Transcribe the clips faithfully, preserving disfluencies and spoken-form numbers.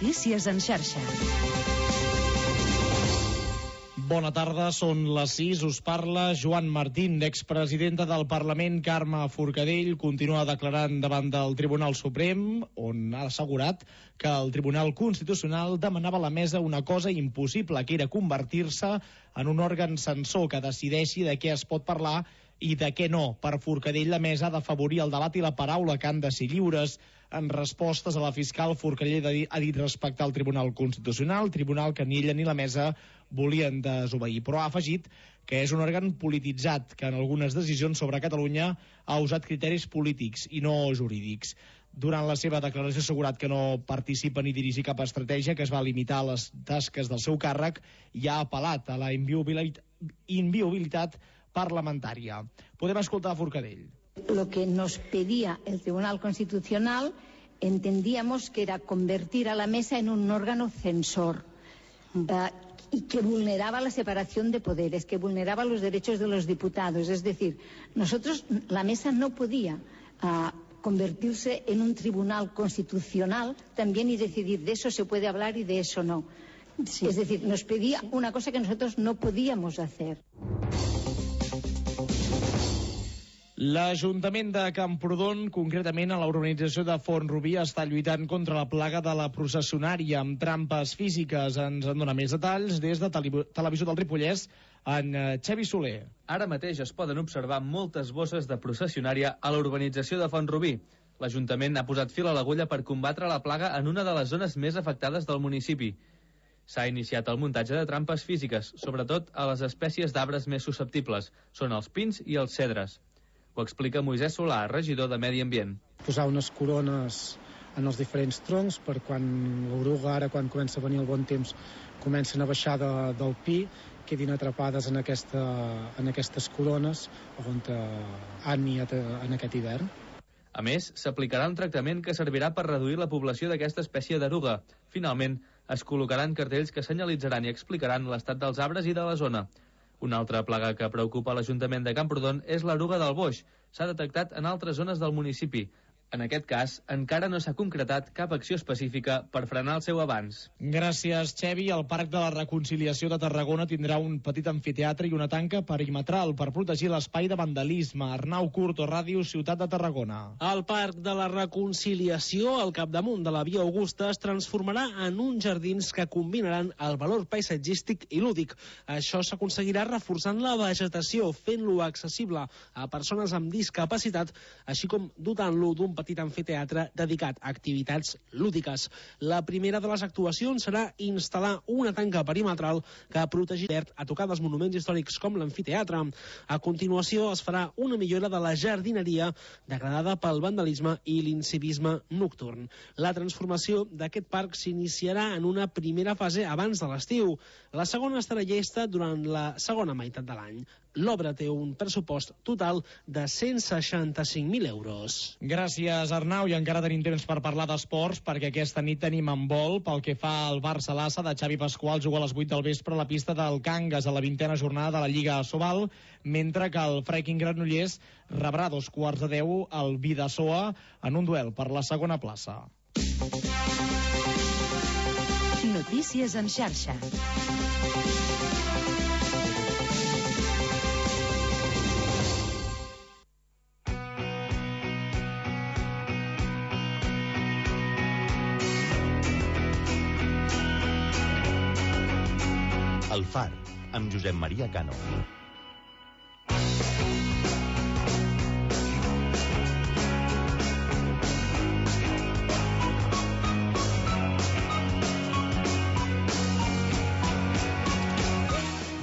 Notícies en xarxa. Bona tarda, són les sis, us parla Joan Martín, expresidenta del Parlament Carme Forcadell, continua declarant davant del Tribunal Suprem, on ha assegurat que el Tribunal Constitucional demanava a la mesa una cosa impossible, que era convertir-se en un òrgan censor que decideixi de què es pot parlar i de què no. Per Forcadell, la mesa ha d'afavorir el debat i la paraula, que han de ser lliures. En respostes a la fiscal, Forcadell ha dit respectar el Tribunal Constitucional, tribunal que ni ella ni la mesa volien desobeir, però ha afegit que és un òrgan polititzat, que en algunes decisions sobre Catalunya ha usat criteris polítics i no jurídics. Durant la seva declaració ha assegurat que no participa ni dirigir cap estratègia, que es va limitar a les tasques del seu càrrec i ha apel·lat a la inviolabilitat, inviolabilitat parlamentària. Podem escoltar a Forcadell. Lo que nos pedía el Tribunal Constitucional entendíamos que era convertir a la mesa en un órgano censor uh, y que vulneraba la separación de poderes, que vulneraba los derechos de los diputados. Es decir, nosotros, la mesa no podía uh, convertirse en un tribunal constitucional también y decidir de eso se puede hablar y de eso no. Sí. Es decir, nos pedía una cosa que nosotros no podíamos hacer. L'Ajuntament de Camprodon, concretament a la urbanització de Font-rubí, està lluitant contra la plaga de la processionària amb trampes físiques. Ens en dona més detalls des de Televisió del Ripollès, en Xavi Soler. Ara mateix es poden observar moltes bosses de processionària a la urbanització de Font-rubí. L'Ajuntament ha posat fil a l'agulla per combatre la plaga en una de les zones més afectades del municipi. S'ha iniciat el muntatge de trampes físiques, sobretot a les espècies d'arbres més susceptibles. Són els pins i els cedres. Ho explica Moisès Solà, regidor de Medi Ambient. Posar unes corones en els diferents troncs per quan l'oruga, ara quan comença a venir el bon temps, comencen a baixar de, del pi, quedin atrapades en, aquesta, en aquestes corones on han niat en aquest hivern. A més, s'aplicarà un tractament que servirà per reduir la població d'aquesta espècie d'eruga. Finalment, es col·locaran cartells que senyalitzaran i explicaran l'estat dels arbres i de la zona. Una altra plaga que preocupa l'Ajuntament de Camprodon és l'eruga del boix. S'ha detectat en altres zones del municipi. En aquest cas, encara no s'ha concretat cap acció específica per frenar el seu avanç. Gràcies, Xevi. El Parc de la Reconciliació de Tarragona tindrà un petit amfiteatre i una tanca perimetral per protegir l'espai de vandalisme. Arnau Curto, Ràdio Ciutat de Tarragona. El Parc de la Reconciliació, al capdamunt de la Via Augusta, es transformarà en uns jardins que combinaran el valor paisatgístic i lúdic. Això s'aconseguirà reforçant la vegetació, fent-lo accessible a persones amb discapacitat, així com dotant-lo d'un petit amfiteatre dedicat a activitats lúdiques. La primera de les actuacions serà instal·lar una tanca perimetral que protegirà a tocar dels monuments històrics com l'amfiteatre. A continuació es farà una millora de la jardineria degradada pel vandalisme i l'incivisme nocturn. La transformació d'aquest parc s'iniciarà en una primera fase abans de l'estiu. La segona estarà llesta durant la segona meitat de l'any. L'obra té un pressupost total de cent seixanta-cinc mil euros. Gràcies, Arnau, i encara tenim temps per parlar d'esports, perquè aquesta nit tenim handbol. Pel que fa al Barça-Lassa de Xavi Pasqual, juga a les vuit del vespre a la pista del Cangas a la vintena jornada de la Lliga Sobal, mentre que el Freaking Granollers rebrà dos quarts de deu al Bidasoa en un duel per la segona plaça. Notícies en xarxa. El Far, amb Josep Maria Cano.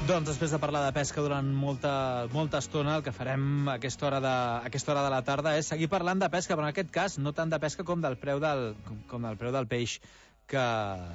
Doncs després de parlar de pesca durant molta, molta estona, el que farem a aquesta hora de, a aquesta hora de la tarda és seguir parlant de pesca, però en aquest cas no tant de pesca com del preu del, com, com del preu del peix que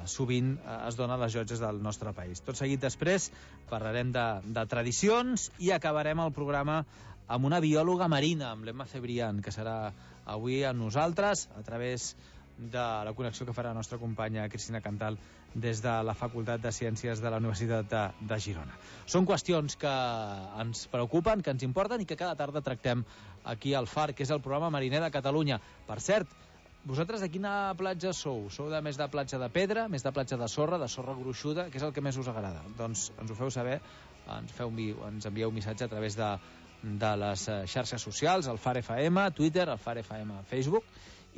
sovint es dona a les llotges del nostre país. Tot seguit després parlarem de, de tradicions i acabarem el programa amb una biòloga marina, amb l'Emma Cebrián, que serà avui amb nosaltres a través de la connexió que farà la nostra companya Cristina Cantal des de la Facultat de Ciències de la Universitat de, de Girona. Són qüestions que ens preocupen, que ens importen i que cada tarda tractem aquí al Far, que és el programa mariner de Catalunya. Per cert, vosaltres de quina platja sou? Sou de més de platja de pedra, més de platja de sorra, de sorra gruixuda? Què és el que més us agrada? Doncs ens ho feu saber, ens, feu, ens envieu un missatge a través de, de les xarxes socials, el F A R F M, Twitter, el F A R F M, Facebook,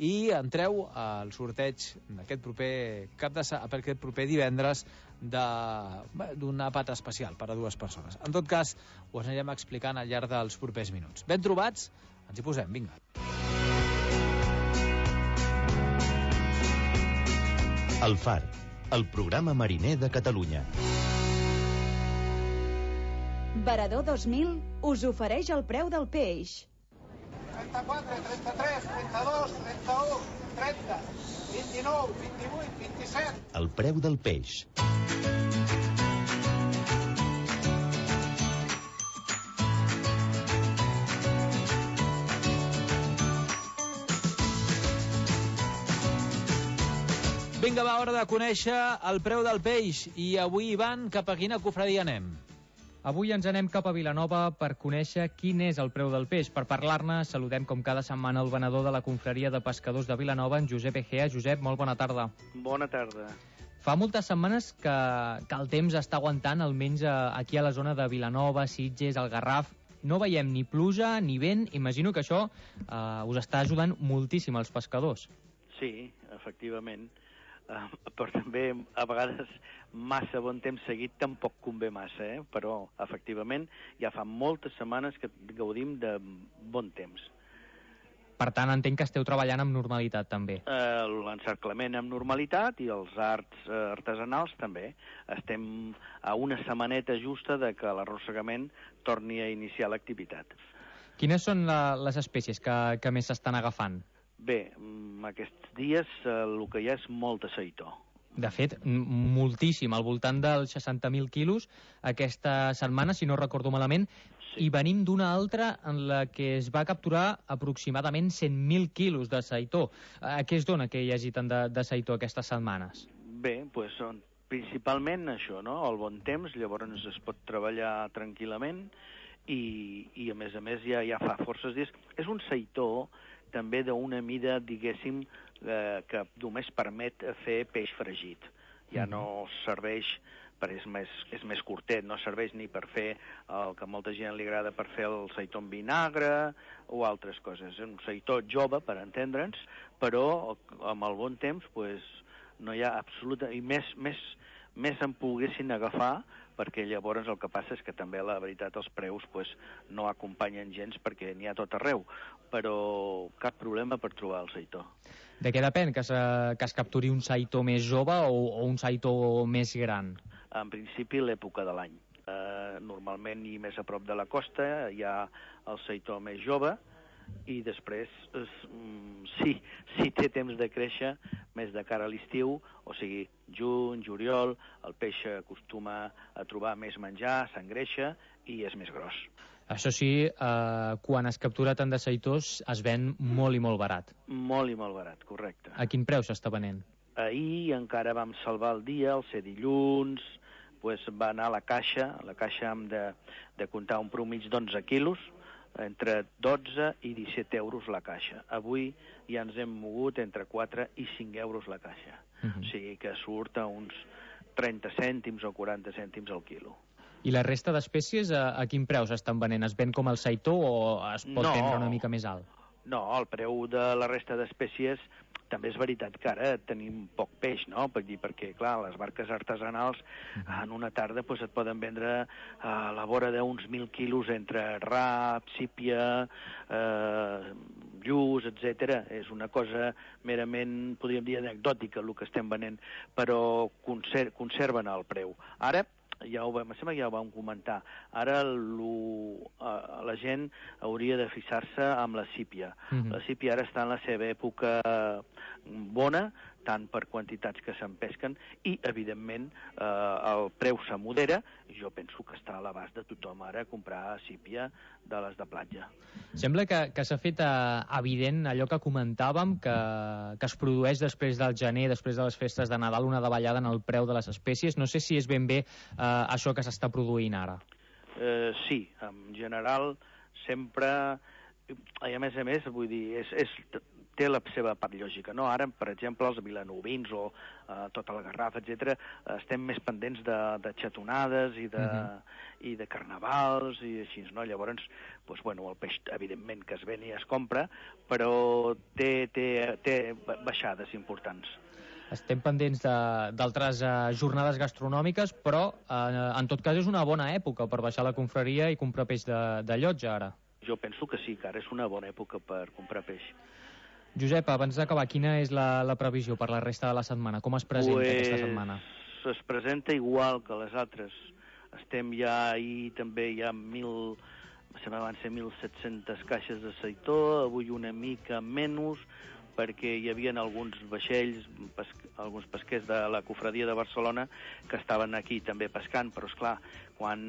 i entreu al sorteig d'aquest proper cap de per aquest proper divendres d'un àpat especial per a dues persones. En tot cas, ho anirem explicant al llarg dels propers minuts. Ben trobats, ens hi posem, vinga. El Far, el programa mariner de Catalunya. Varador dos mil us ofereix el preu del peix. trenta-quatre, trenta-tres, trenta-dos, trenta-u, trenta, vint-i-nou, vint-i-vuit, vint-i-set. El preu del peix. Vinga, va, hora de conèixer el preu del peix. I avui, Ivan, cap a quina cofradia anem? Avui ens anem cap a Vilanova per conèixer quin és el preu del peix. Per parlar-ne, saludem com cada setmana el venedor de la confraria de pescadors de Vilanova, en Josep Egea. Josep, molt bona tarda. Bona tarda. Fa moltes setmanes que, que el temps està aguantant, almenys aquí a la zona de Vilanova, Sitges, el Garraf. No veiem ni pluja ni vent. Imagino que això eh, us està ajudant moltíssim als pescadors. Sí, efectivament. Uh, però també a vegades massa bon temps seguit tampoc convé massa, eh? Però efectivament ja fa moltes setmanes que gaudim de bon temps. Per tant, entenc que esteu treballant amb normalitat també. Uh, L'encerclament amb normalitat i els arts uh, artesanals també. Estem a una setmaneta justa de que l'arrossegament torni a iniciar l'activitat. Quines són la, les espècies que, que més s'estan agafant? Bé, aquests dies eh, el que hi ha és molta seitó. De fet, moltíssim, al voltant dels seixanta mil quilos aquesta setmana, si no recordo malament, sí. I venim d'una altra en la que es va capturar aproximadament cent mil quilos de seitó. A què es dona que hi hagi tant de, de seitó aquestes setmanes? Bé, doncs són principalment això, no? El bon temps, llavors es pot treballar tranquil·lament i, i a més a més ja, ja fa forces dies. És un seitó també d'una mida, diguéssim, eh, que només permet fer peix fregit. Ja no serveix, per és més, és més curtet, no serveix ni per fer el que a molta gent li agrada per fer el seitó en vinagre o altres coses. És un seitó jove, per entendre'ns, però amb el bon temps pues, no hi ha absoluta... I més, més, més en poguessin agafar, perquè llavors el que passa és que també, la veritat, els preus pues, no acompanyen gens perquè n'hi ha tot arreu, però cap problema per trobar el seitó. De què depèn que, se, que es capturi un seitó més jove o, o un seitó més gran? En principi, l'època de l'any. Eh, normalment, i més a prop de la costa, hi ha el seitó més jove, i després, es, sí, sí té temps de créixer més de cara a l'estiu, o sigui, juny, juliol, el peix acostuma a trobar més menjar, s'engreixa i és més gros. Això sí, eh, quan es captura tant de seitós es ven molt i molt barat. Molt i molt barat, correcte. A quin preu s'està venent? Ahir encara vam salvar el dia, el ser dilluns, pues va anar a la caixa, a la caixa hem de, de comptar un promig d'onze quilos, entre dotze i disset euros la caixa. Avui ja ens hem mogut entre quatre i cinc euros la caixa. Uh-huh. O sigui que surt a uns trenta cèntims o quaranta cèntims al quilo. I la resta d'espècies a, a quin preu s'estan venent? Es ven com el seitó o es pot no, vendre una mica més alt? No, el preu de la resta d'espècies també és veritat que ara tenim poc peix, no? Per dir, perquè, clar, les barques artesanals en una tarda pues, et poden vendre a la vora d'uns mil quilos entre rap, sípia, eh, lluç, etcètera. És una cosa merament, podríem dir, anecdòtica el que estem venent, però conser conserven el preu. Ara, ja ho vam, em sembla que ja ho vam comentar, ara lo, uh, la gent hauria de fixar-se amb la sípia. Mm-hmm. La sípia ara està en la seva època bona, tant per quantitats que se'n pesquen, i, evidentment, eh, el preu se modera, i jo penso que està a l'abast de tothom ara comprar sípia de les de platja. Sembla que, que s'ha fet eh, evident allò que comentàvem, que, que es produeix després del gener, després de les festes de Nadal, una davallada en el preu de les espècies. No sé si és ben bé eh, això que s'està produint ara. Eh, sí, en general, sempre... I a més a més, vull dir, és, és, té la seva part lògica, no? Ara, per exemple, els vilanovins o eh, tota la Garraf, etcètera, estem més pendents de, de xatonades i de, uh-huh. i de carnavals i així, no? Llavors, doncs, bueno, el peix, evidentment, que es ven i es compra, però té, té, té baixades importants. Estem pendents d'altres uh, jornades gastronòmiques, però uh, en tot cas és una bona època per baixar a la confraria i comprar peix de, de llotja, ara. Jo penso que sí, que ara és una bona època per comprar peix. Josep, abans d'acabar, quina és la, la previsió per la resta de la setmana? Com es presenta pues, aquesta setmana? Es presenta igual que les altres. Estem ja ahir també hi ha mil, se van ser mil set-centes caixes de seitó, avui una mica menys, perquè hi havia alguns vaixells, pes, alguns pesquers de la cofradia de Barcelona que estaven aquí també pescant, però esclar, quan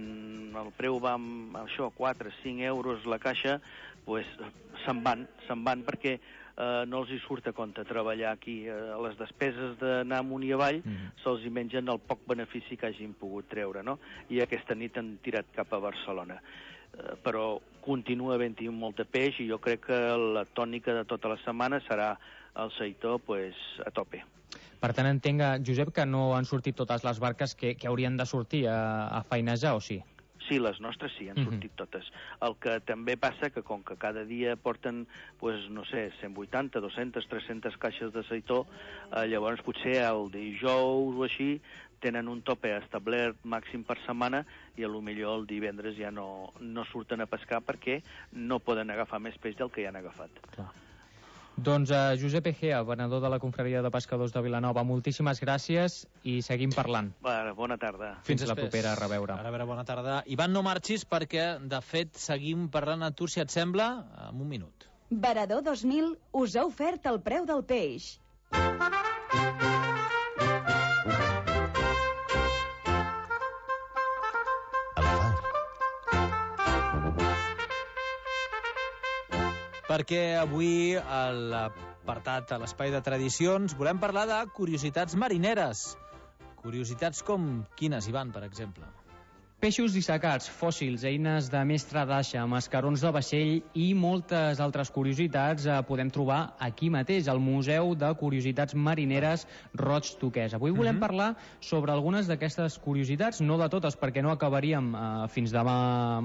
el preu va amb això, quatre a cinc euros la caixa, pues, se'n van, se'n van perquè eh, no els hi surt a compte treballar aquí. Eh, les despeses d'anar amunt i avall mm. se'ls hi mengen el poc benefici que hagin pogut treure, no? I aquesta nit han tirat cap a Barcelona. Uh, però continua havent-hi molt de peix i jo crec que la tònica de tota la setmana serà el seitó pues, a tope. Per tant, entenc, Josep, que no han sortit totes les barques que, que haurien de sortir a, a feinejar, o sí? Sí, les nostres sí, han uh-huh. sortit totes. El que també passa que com que cada dia porten, pues, no sé, cent vuitanta, dues-centes, tres-centes caixes de seitó, eh, llavors potser el dijous o així tenen un tope establert màxim per setmana i a lo millor el divendres ja no, no surten a pescar perquè no poden agafar més peix del que ja han agafat. Clar. Doncs uh, Josep Egea, venedor de la Confraria de Pescadors de Vilanova, moltíssimes gràcies i seguim parlant. Bona, bona tarda. Fins, Fins la propera, a reveure. A reveure, bona tarda. Ivan, no marxis perquè, de fet, seguim parlant a tu, si et sembla, en un minut. Varador dos mil us ha ofert el preu del peix. Perquè avui, a l'apartat, a l'espai de tradicions, volem parlar de curiositats marineres. Curiositats com quines, Ivan, per exemple? Peixos dissecats, fòssils, eines de mestre d'aixa, mascarons de vaixell i moltes altres curiositats eh, podem trobar aquí mateix, al Museu de Curiositats Marineres Roig Toquès. Avui volem uh-huh. parlar sobre algunes d'aquestes curiositats, no de totes, perquè no acabaríem eh, fins demà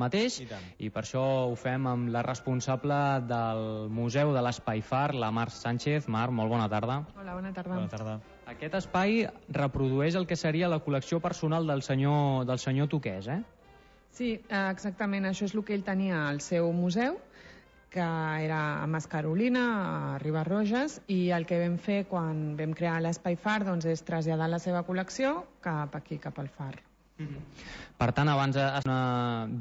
mateix, I, i per això ho fem amb la responsable del Museu de l'Espai Far, la Mar Sánchez. Mar, molt bona tarda. Hola, bona tarda. Bona tarda. Aquest espai reprodueix el que seria la col·lecció personal del senyor, del senyor Toquès, eh? Sí, exactament, això és el que ell tenia al seu museu, que era a Mascarolina, a Ribarroges, i el que vam fer quan vam crear l'Espai Far doncs, és traslladar la seva col·lecció cap aquí, cap al Far. Mm-hmm. Per tant, abans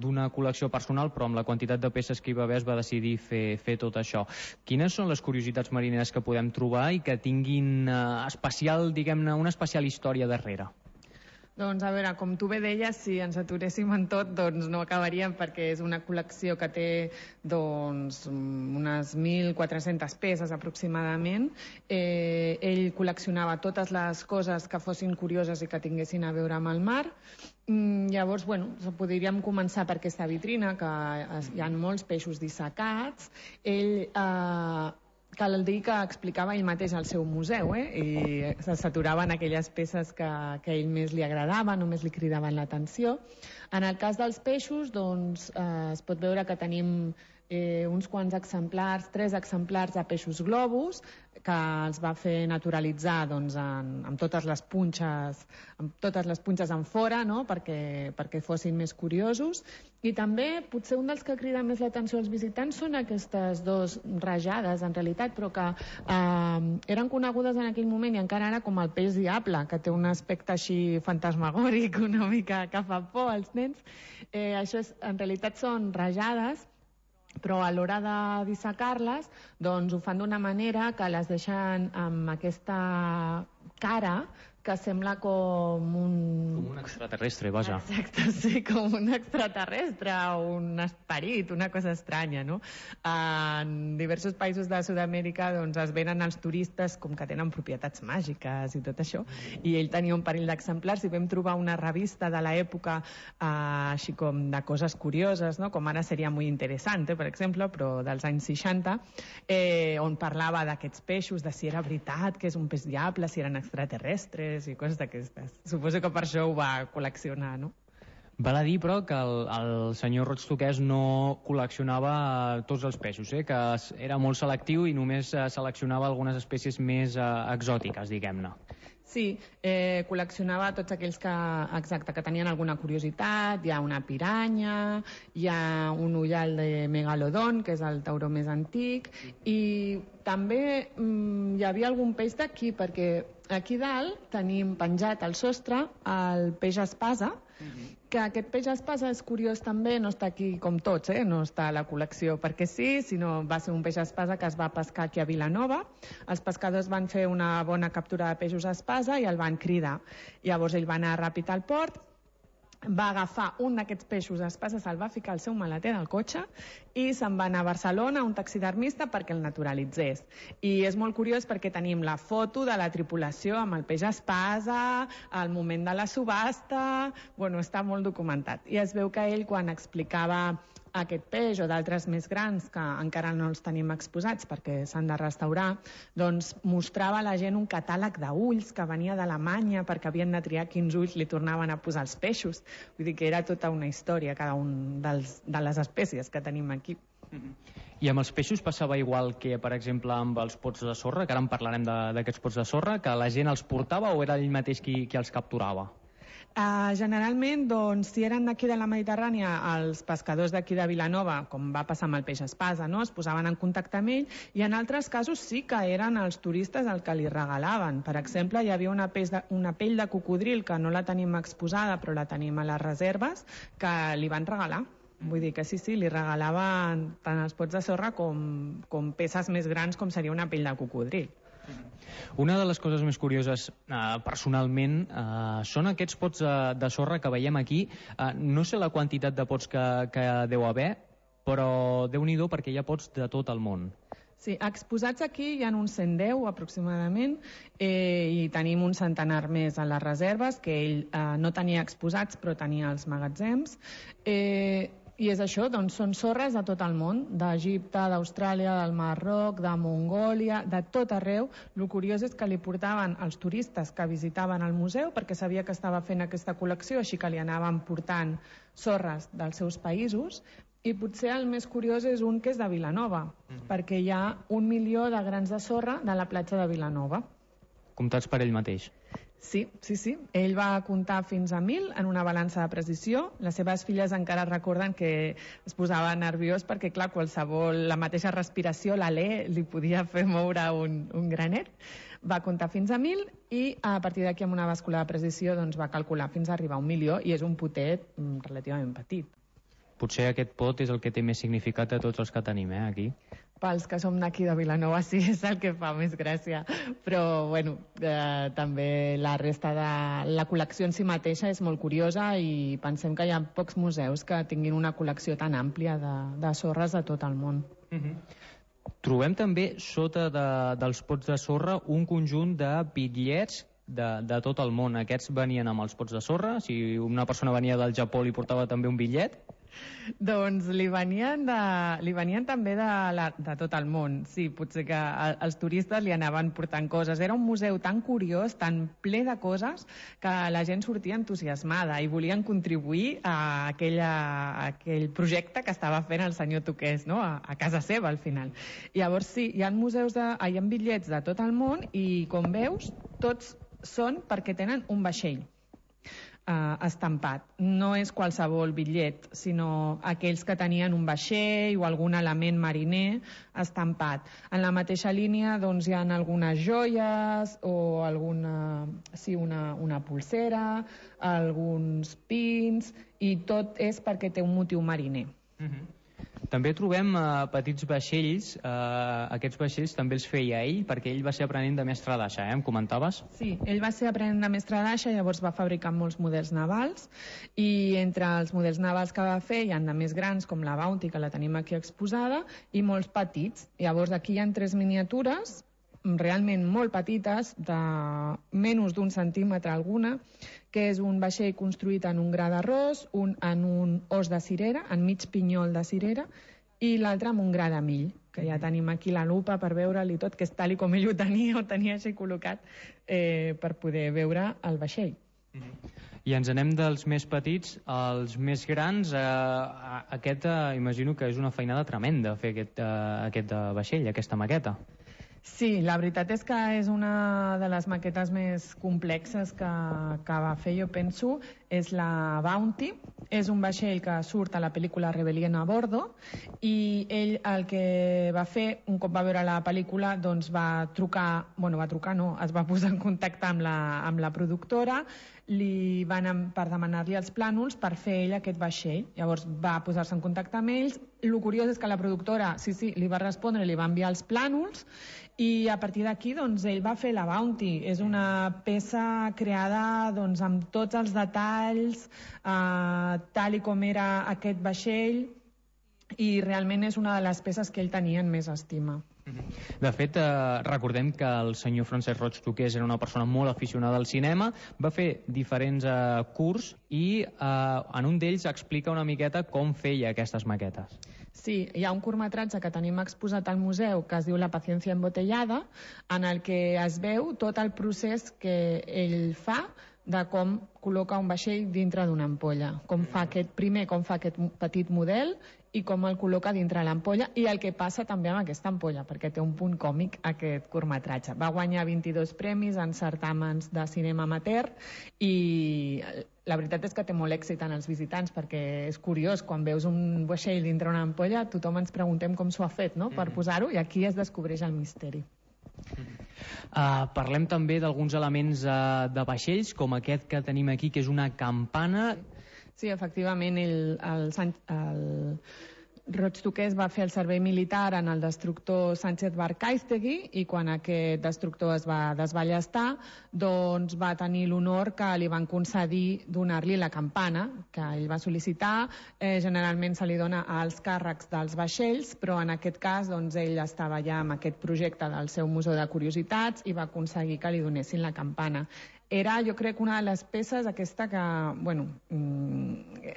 d'una col·lecció personal, però amb la quantitat de peces que hi va haver es va decidir fer, fer tot això. Quines són les curiositats marineres que podem trobar i que tinguin eh, especial, diguem-ne, una especial història darrere? Doncs a veure, com tu bé deies, si ens aturéssim en tot, doncs no acabaríem, perquè és una col·lecció que té doncs, unes mil quatre-centes peces aproximadament. Eh, ell col·leccionava totes les coses que fossin curioses i que tinguessin a veure amb el mar. Mm, llavors, bueno, podríem començar per aquesta vitrina, que hi ha molts peixos dissecats. Ell... Eh, cal dir que explicava ell mateix al seu museu, eh? I s'aturaven aquelles peces que, que a ell més li agradaven, només li cridaven l'atenció. En el cas dels peixos, doncs, eh, es pot veure que tenim eh, uns quants exemplars, tres exemplars de peixos globus, que els va fer naturalitzar doncs, en, amb totes les punxes, amb totes les punxes en fora, no? perquè, perquè fossin més curiosos. I també, potser un dels que crida més l'atenció als visitants són aquestes dos rajades, en realitat, però que eh, eren conegudes en aquell moment i encara ara com el peix diable, que té un aspecte així fantasmagòric, una mica que fa por als nens. Eh, això és, en realitat són rajades, però a l'hora de dissecar-les doncs ho fan d'una manera que les deixen amb aquesta cara que sembla com un... Com un extraterrestre, vaja. Exacte, sí, com un extraterrestre o un esperit, una cosa estranya, no? En diversos països de Sud-amèrica doncs, es venen els turistes com que tenen propietats màgiques i tot això, i ell tenia un parell d'exemplars i vam trobar una revista de l'època eh, així com de coses curioses, no? Com ara seria molt interessant, per exemple, però dels anys seixanta, eh, on parlava d'aquests peixos, de si era veritat que és un peix diable, si eren extraterrestres i coses d'aquestes. Suposo que per això ho va col·leccionar, no? Val a dir, però, que el, el senyor Roig Toqués no col·leccionava tots els peixos, eh? Que era molt selectiu i només seleccionava algunes espècies més eh, exòtiques, diguem-ne. Sí, eh, col·leccionava tots aquells que, exacte, que tenien alguna curiositat. Hi ha una piranya, hi ha un ullal de megalodon, que és el tauró més antic, i també mm, hi havia algun peix d'aquí, perquè aquí dalt tenim penjat al sostre el peix espasa, que aquest peix espasa és curiós també, no està aquí com tots, eh? No està a la col·lecció perquè sí, sinó va ser un peix espasa que es va pescar aquí a Vilanova. Els pescadors van fer una bona captura de peixos espasa i el van cridar. Llavors ell va anar ràpid al port, va agafar un d'aquests peixos espasa, se'l va ficar al seu maleter del cotxe i se'n va anar a Barcelona a un taxidermista perquè el naturalitzés. I és molt curiós perquè tenim la foto de la tripulació amb el peix espasa, el moment de la subhasta, bueno, està molt documentat. I es veu que ell, quan explicava aquest peix o d'altres més grans que encara no els tenim exposats perquè s'han de restaurar, doncs mostrava a la gent un catàleg d'ulls que venia d'Alemanya perquè havien de triar quins ulls li tornaven a posar els peixos. Vull dir que era tota una història cada un dels, de les espècies que tenim aquí. I amb els peixos passava igual que, per exemple, amb els pots de sorra, que ara en parlarem d'aquests pots de sorra, que la gent els portava o era ell mateix qui, qui els capturava? Uh, generalment, doncs, si eren d'aquí de la Mediterrània, els pescadors d'aquí de Vilanova, com va passar amb el peix espasa, no? Es posaven en contacte amb ell, i en altres casos sí que eren els turistes el que li regalaven. Per exemple, hi havia una, pell de, una pell de cocodril que no la tenim exposada, però la tenim a les reserves, que li van regalar. Vull dir que sí, sí, li regalaven tant els pots de sorra com, com peces més grans com seria una pell de cocodril. Una de les coses més curioses eh, personalment eh, són aquests pots de, de sorra que veiem aquí. Eh, no sé la quantitat de pots que, que deu haver, però Déu-n'hi-do perquè hi ha pots de tot el món. Sí, exposats aquí hi ha uns cent deu aproximadament, eh, i tenim un centenar més a les reserves que ell eh, no tenia exposats però tenia els magatzems. Eh, I és això, doncs són sorres de tot el món, d'Egipte, d'Austràlia, del Marroc, de Mongòlia, de tot arreu. El curiós és que li portaven els turistes que visitaven el museu perquè sabia que estava fent aquesta col·lecció, així que li anaven portant sorres dels seus països. I potser el més curiós és un que és de Vilanova, mm. perquè hi ha un milió de grans de sorra de la platja de Vilanova. Comptats per ell mateix. Sí, sí, sí. Ell va comptar fins a mil en una balança de precisió. Les seves filles encara recorden que es posava nerviós perquè, clar, qualsevol, la mateixa respiració, l'alè, li podia fer moure un, un granet. Va comptar fins a mil i a partir d'aquí amb una bàscula de precisió doncs, va calcular fins a arribar a un milió i és un potet mm, relativament petit. Potser aquest pot és el que té més significat de tots els que tenim, eh, aquí. Pels que som d'aquí de Vilanova sí, és el que fa més gràcia, però bueno, eh, també la resta de la col·lecció en si mateixa és molt curiosa i pensem que hi ha pocs museus que tinguin una col·lecció tan àmplia de, de sorres de tot el món. Mm-hmm. Trobem també sota de, dels pots de sorra un conjunt de bitllets de, de tot el món. Aquests venien amb els pots de sorra? Si una persona venia del Japó li portava també un bitllet? Doncs li venien, de, li venien també de, la, de tot el món. Sí, potser que els turistes li anaven portant coses. Era un museu tan curiós, tan ple de coses, que la gent sortia entusiasmada i volien contribuir a, aquella, a aquell projecte que estava fent el senyor Toqués, no? a, a casa seva, al final. Llavors, sí, hi ha museus, de, hi ha bitllets de tot el món i, com veus, tots són perquè tenen un vaixell. Uh, estampat. No és qualsevol bitllet, sinó aquells que tenien un vaixell o algun element mariner estampat. En la mateixa línia doncs, hi ha algunes joies o alguna, sí, una, una pulsera, alguns pins, i tot és perquè té un motiu mariner. Mm-hmm. També trobem eh, petits vaixells, eh, aquests vaixells també els feia ell, perquè ell va ser aprenent de mestre d'aixa, eh? Em comentaves? Sí, ell va ser aprenent de mestre d'aixa, llavors va fabricar molts models navals, i entre els models navals que va fer hi ha de més grans, com la Bounty, que la tenim aquí exposada, i molts petits. Llavors aquí hi ha tres miniatures, realment molt petites, de menys d'un centímetre alguna, que és un vaixell construït en un gra d'arròs, un en un os de cirera, en mig pinyol de cirera, i l'altre amb un gra de mill, que ja tenim aquí la lupa per veure'l i tot, que és tal i com ell ho tenia, ho tenia així col·locat, eh, per poder veure el vaixell. I ens anem dels més petits als més grans. Eh, aquest, eh, imagino que és una feinada tremenda fer aquest, eh, aquest eh, vaixell, aquesta maqueta. Sí, la veritat és que és una de les maquetes més complexes que, que va fer, jo penso, és la Bounty. És un vaixell que surt a la pel·lícula Rebelión a Bordo, i ell el que va fer, un cop va veure la pel·lícula, doncs va trucar, bueno, va trucar no, es va posar en contacte amb la, amb la productora, li van per demanar-li els plànols per fer ell aquest vaixell. Llavors va posar-se en contacte amb ells. El curiós és que la productora, sí, sí, li va respondre, li va enviar els plànols, i a partir d'aquí doncs, ell va fer la Bounty. És una peça creada doncs, amb tots els detalls, eh, tal i com era aquest vaixell, i realment és una de les peces que ell tenia en més estima. De fet, eh, recordem que el senyor Francesc Roig Toqués era una persona molt aficionada al cinema, va fer diferents eh, curs i eh, en un d'ells explica una miqueta com feia aquestes maquetes. Sí, hi ha un curtmetratge que tenim exposat al museu que es diu La paciencia embotellada, en el que es veu tot el procés que ell fa de com col·loca un vaixell dintre d'una ampolla, com fa aquest, primer com fa aquest petit model i com el col·loca dintre l'ampolla, i el que passa també amb aquesta ampolla, perquè té un punt còmic aquest curtmetratge. Va guanyar vint-i-dos premis en certàmens de cinema amateur, i la veritat és que té molt èxit en els visitants, perquè és curiós, quan veus un vaixell dintre una ampolla, tothom ens preguntem com s'ho ha fet, no?, per posar-ho, i aquí es descobreix el misteri. Uh, parlem també d'alguns elements uh, de vaixells, com aquest que tenim aquí, que és una campana. Sí, efectivament, el, el, el Roig Toqués va fer el servei militar en el destructor Sánchez Barcaiztegui, i quan aquest destructor es va desballestar, doncs va tenir l'honor que li van concedir donar-li la campana que ell va sol·licitar. Eh, generalment se li dona als càrrecs dels vaixells, però en aquest cas doncs, ell estava ja amb aquest projecte del seu Museu de Curiositats i va aconseguir que li donessin la campana. Era, jo crec, una de les peces aquesta que, bueno,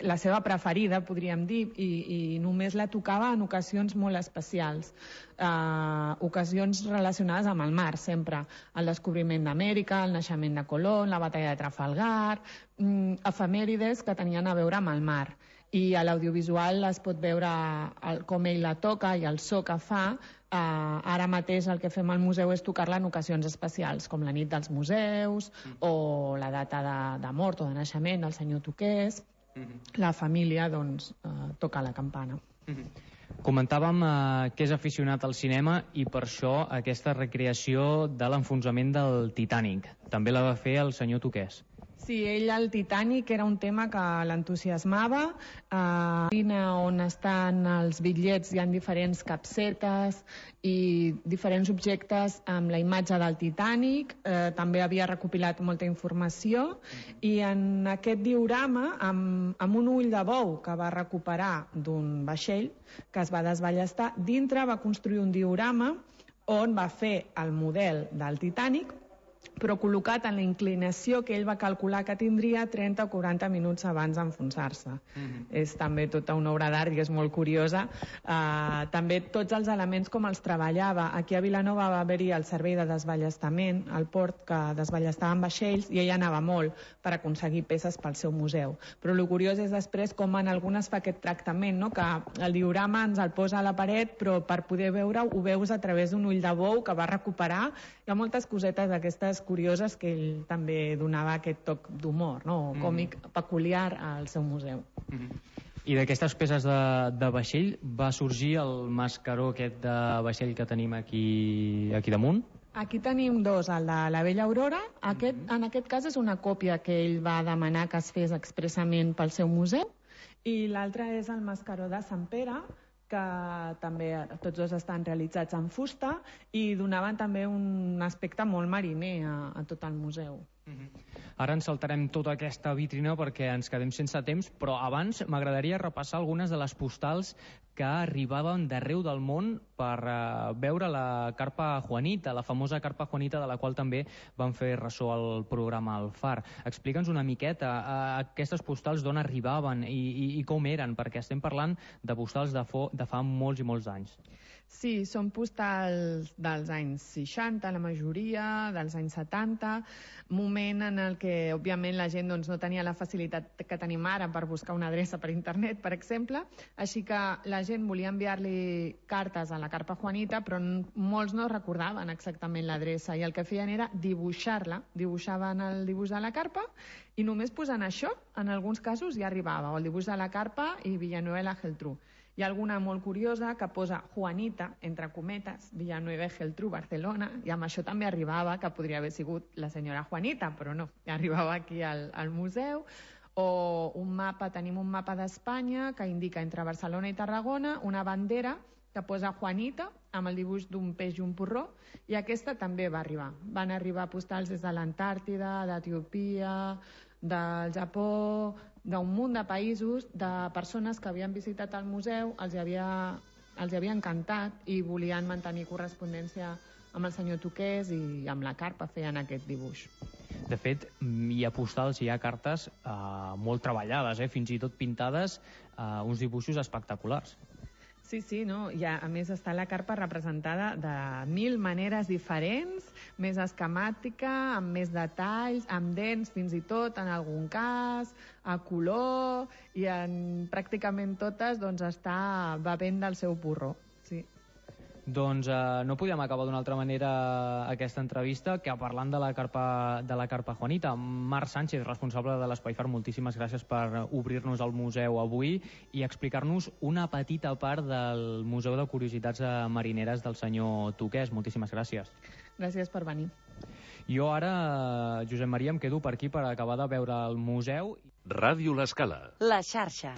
la seva preferida, podríem dir, i, i només la tocava en ocasions molt especials, eh, ocasions relacionades amb el mar, sempre. El descobriment d'Amèrica, el naixement de Colón, la batalla de Trafalgar, mm, efemèrides que tenien a veure amb el mar. I a l'audiovisual es pot veure el, com ell la toca i el so que fa. Uh, ara mateix el que fem al museu és tocar-la en ocasions especials, com la nit dels museus, mm. o la data de, de mort o de naixement del senyor Toqués. Mm-hmm. La família doncs, uh, toca la campana. Mm-hmm. Comentàvem uh, que és aficionat al cinema, i per això aquesta recreació de l'enfonsament del Titanic. També la va fer el senyor Toqués. Sí, ell al Titanic era un tema que l'entusiasmava. A l'ina on estan els bitllets hi ha diferents capsetes i diferents objectes amb la imatge del Titanic. Eh, també havia recopilat molta informació, i en aquest diorama, amb, amb un ull de bou que va recuperar d'un vaixell que es va desballestar, dintre va construir un diorama on va fer el model del Titanic, però col·locat en la inclinació que ell va calcular que tindria trenta o quaranta minuts abans d'enfonsar-se. Mm-hmm. És també tota una obra d'art i és molt curiosa. Uh, també tots els elements com els treballava. Aquí a Vilanova va haver-hi el servei de desballestament, el port que desballestaven vaixells, i ell anava molt per aconseguir peces pel seu museu. Però el curiós és després com en algunes fa aquest tractament, no? Que el diorama ens el posa a la paret, però per poder veure-ho ho veus a través d'un ull de bou que va recuperar. Hi ha moltes cosetes d'aquestes curioses que ell també donava aquest toc d'humor, no? Còmic mm. peculiar al seu museu. Mm-hmm. I d'aquestes peces de, de vaixell va sorgir el mascaró aquest de vaixell que tenim aquí, aquí damunt? Aquí tenim dos, el de la Bella Aurora. Aquest, mm-hmm. En aquest cas és una còpia que ell va demanar que es fes expressament pel seu museu, i l'altre és el mascaró de Sant Pere, que també tots dos estan realitzats en fusta i donaven també un aspecte molt mariner a, a tot el museu. Ara ens saltarem tota aquesta vitrina perquè ens quedem sense temps, però abans m'agradaria repassar algunes de les postals que arribaven d'arreu del món per uh, veure la carpa Juanita, la famosa carpa Juanita de la qual també van fer ressò al programa El Far. Explica'ns una miqueta uh, aquestes postals d'on arribaven i, i, i com eren, perquè estem parlant de postals de, fo, de fa molts i molts anys. Sí, són postals dels anys seixanta, la majoria, dels anys setanta, moment en el que, òbviament, la gent doncs, no tenia la facilitat que tenim ara per buscar una adreça per internet, per exemple, així que la gent volia enviar-li cartes a la carpa Juanita, però molts no recordaven exactament l'adreça, i el que feien era dibuixar-la, dibuixaven el dibuix de la carpa, i només posant això, en alguns casos ja arribava, o el dibuix de la carpa i Villanueva i la Geltrú. Hi ha alguna molt curiosa que posa Juanita, entre cometes, Villanueva i Geltrú, Barcelona, i amb això també arribava, que podria haver sigut la senyora Juanita, però no, arribava aquí al, al museu. O un mapa, tenim un mapa d'Espanya que indica entre Barcelona i Tarragona una bandera que posa Juanita amb el dibuix d'un peix i un porró, i aquesta també va arribar. Van arribar postals des de l'Antàrtida, d'Etiòpia, del Japó, d'un munt de països, de persones que havien visitat el museu, els havia, els havia encantat i volien mantenir correspondència amb el senyor Tuqués i amb la carpa feien aquest dibuix. De fet, hi ha postals, hi ha cartes eh, molt treballades, eh, fins i tot pintades, eh, uns dibuixos espectaculars. Sí, sí, no? I a, a més està la carpa representada de mil maneres diferents, més esquemàtica, amb més detalls, amb dents fins i tot en algun cas, a color, i en pràcticament totes doncs, està bevent del seu porró. Sí. Doncs eh, no podíem acabar d'una altra manera aquesta entrevista que parlant de la carpa, de la carpa Juanita. Marc Sánchez, responsable de l'Espai Far, moltíssimes gràcies per obrir-nos el museu avui i explicar-nos una petita part del Museu de Curiositats Marineres del senyor Tuqués. Moltíssimes gràcies. Gràcies per venir. Jo ara, Josep Maria, em quedo per aquí per acabar de veure el museu. Ràdio L'Escala. La xarxa.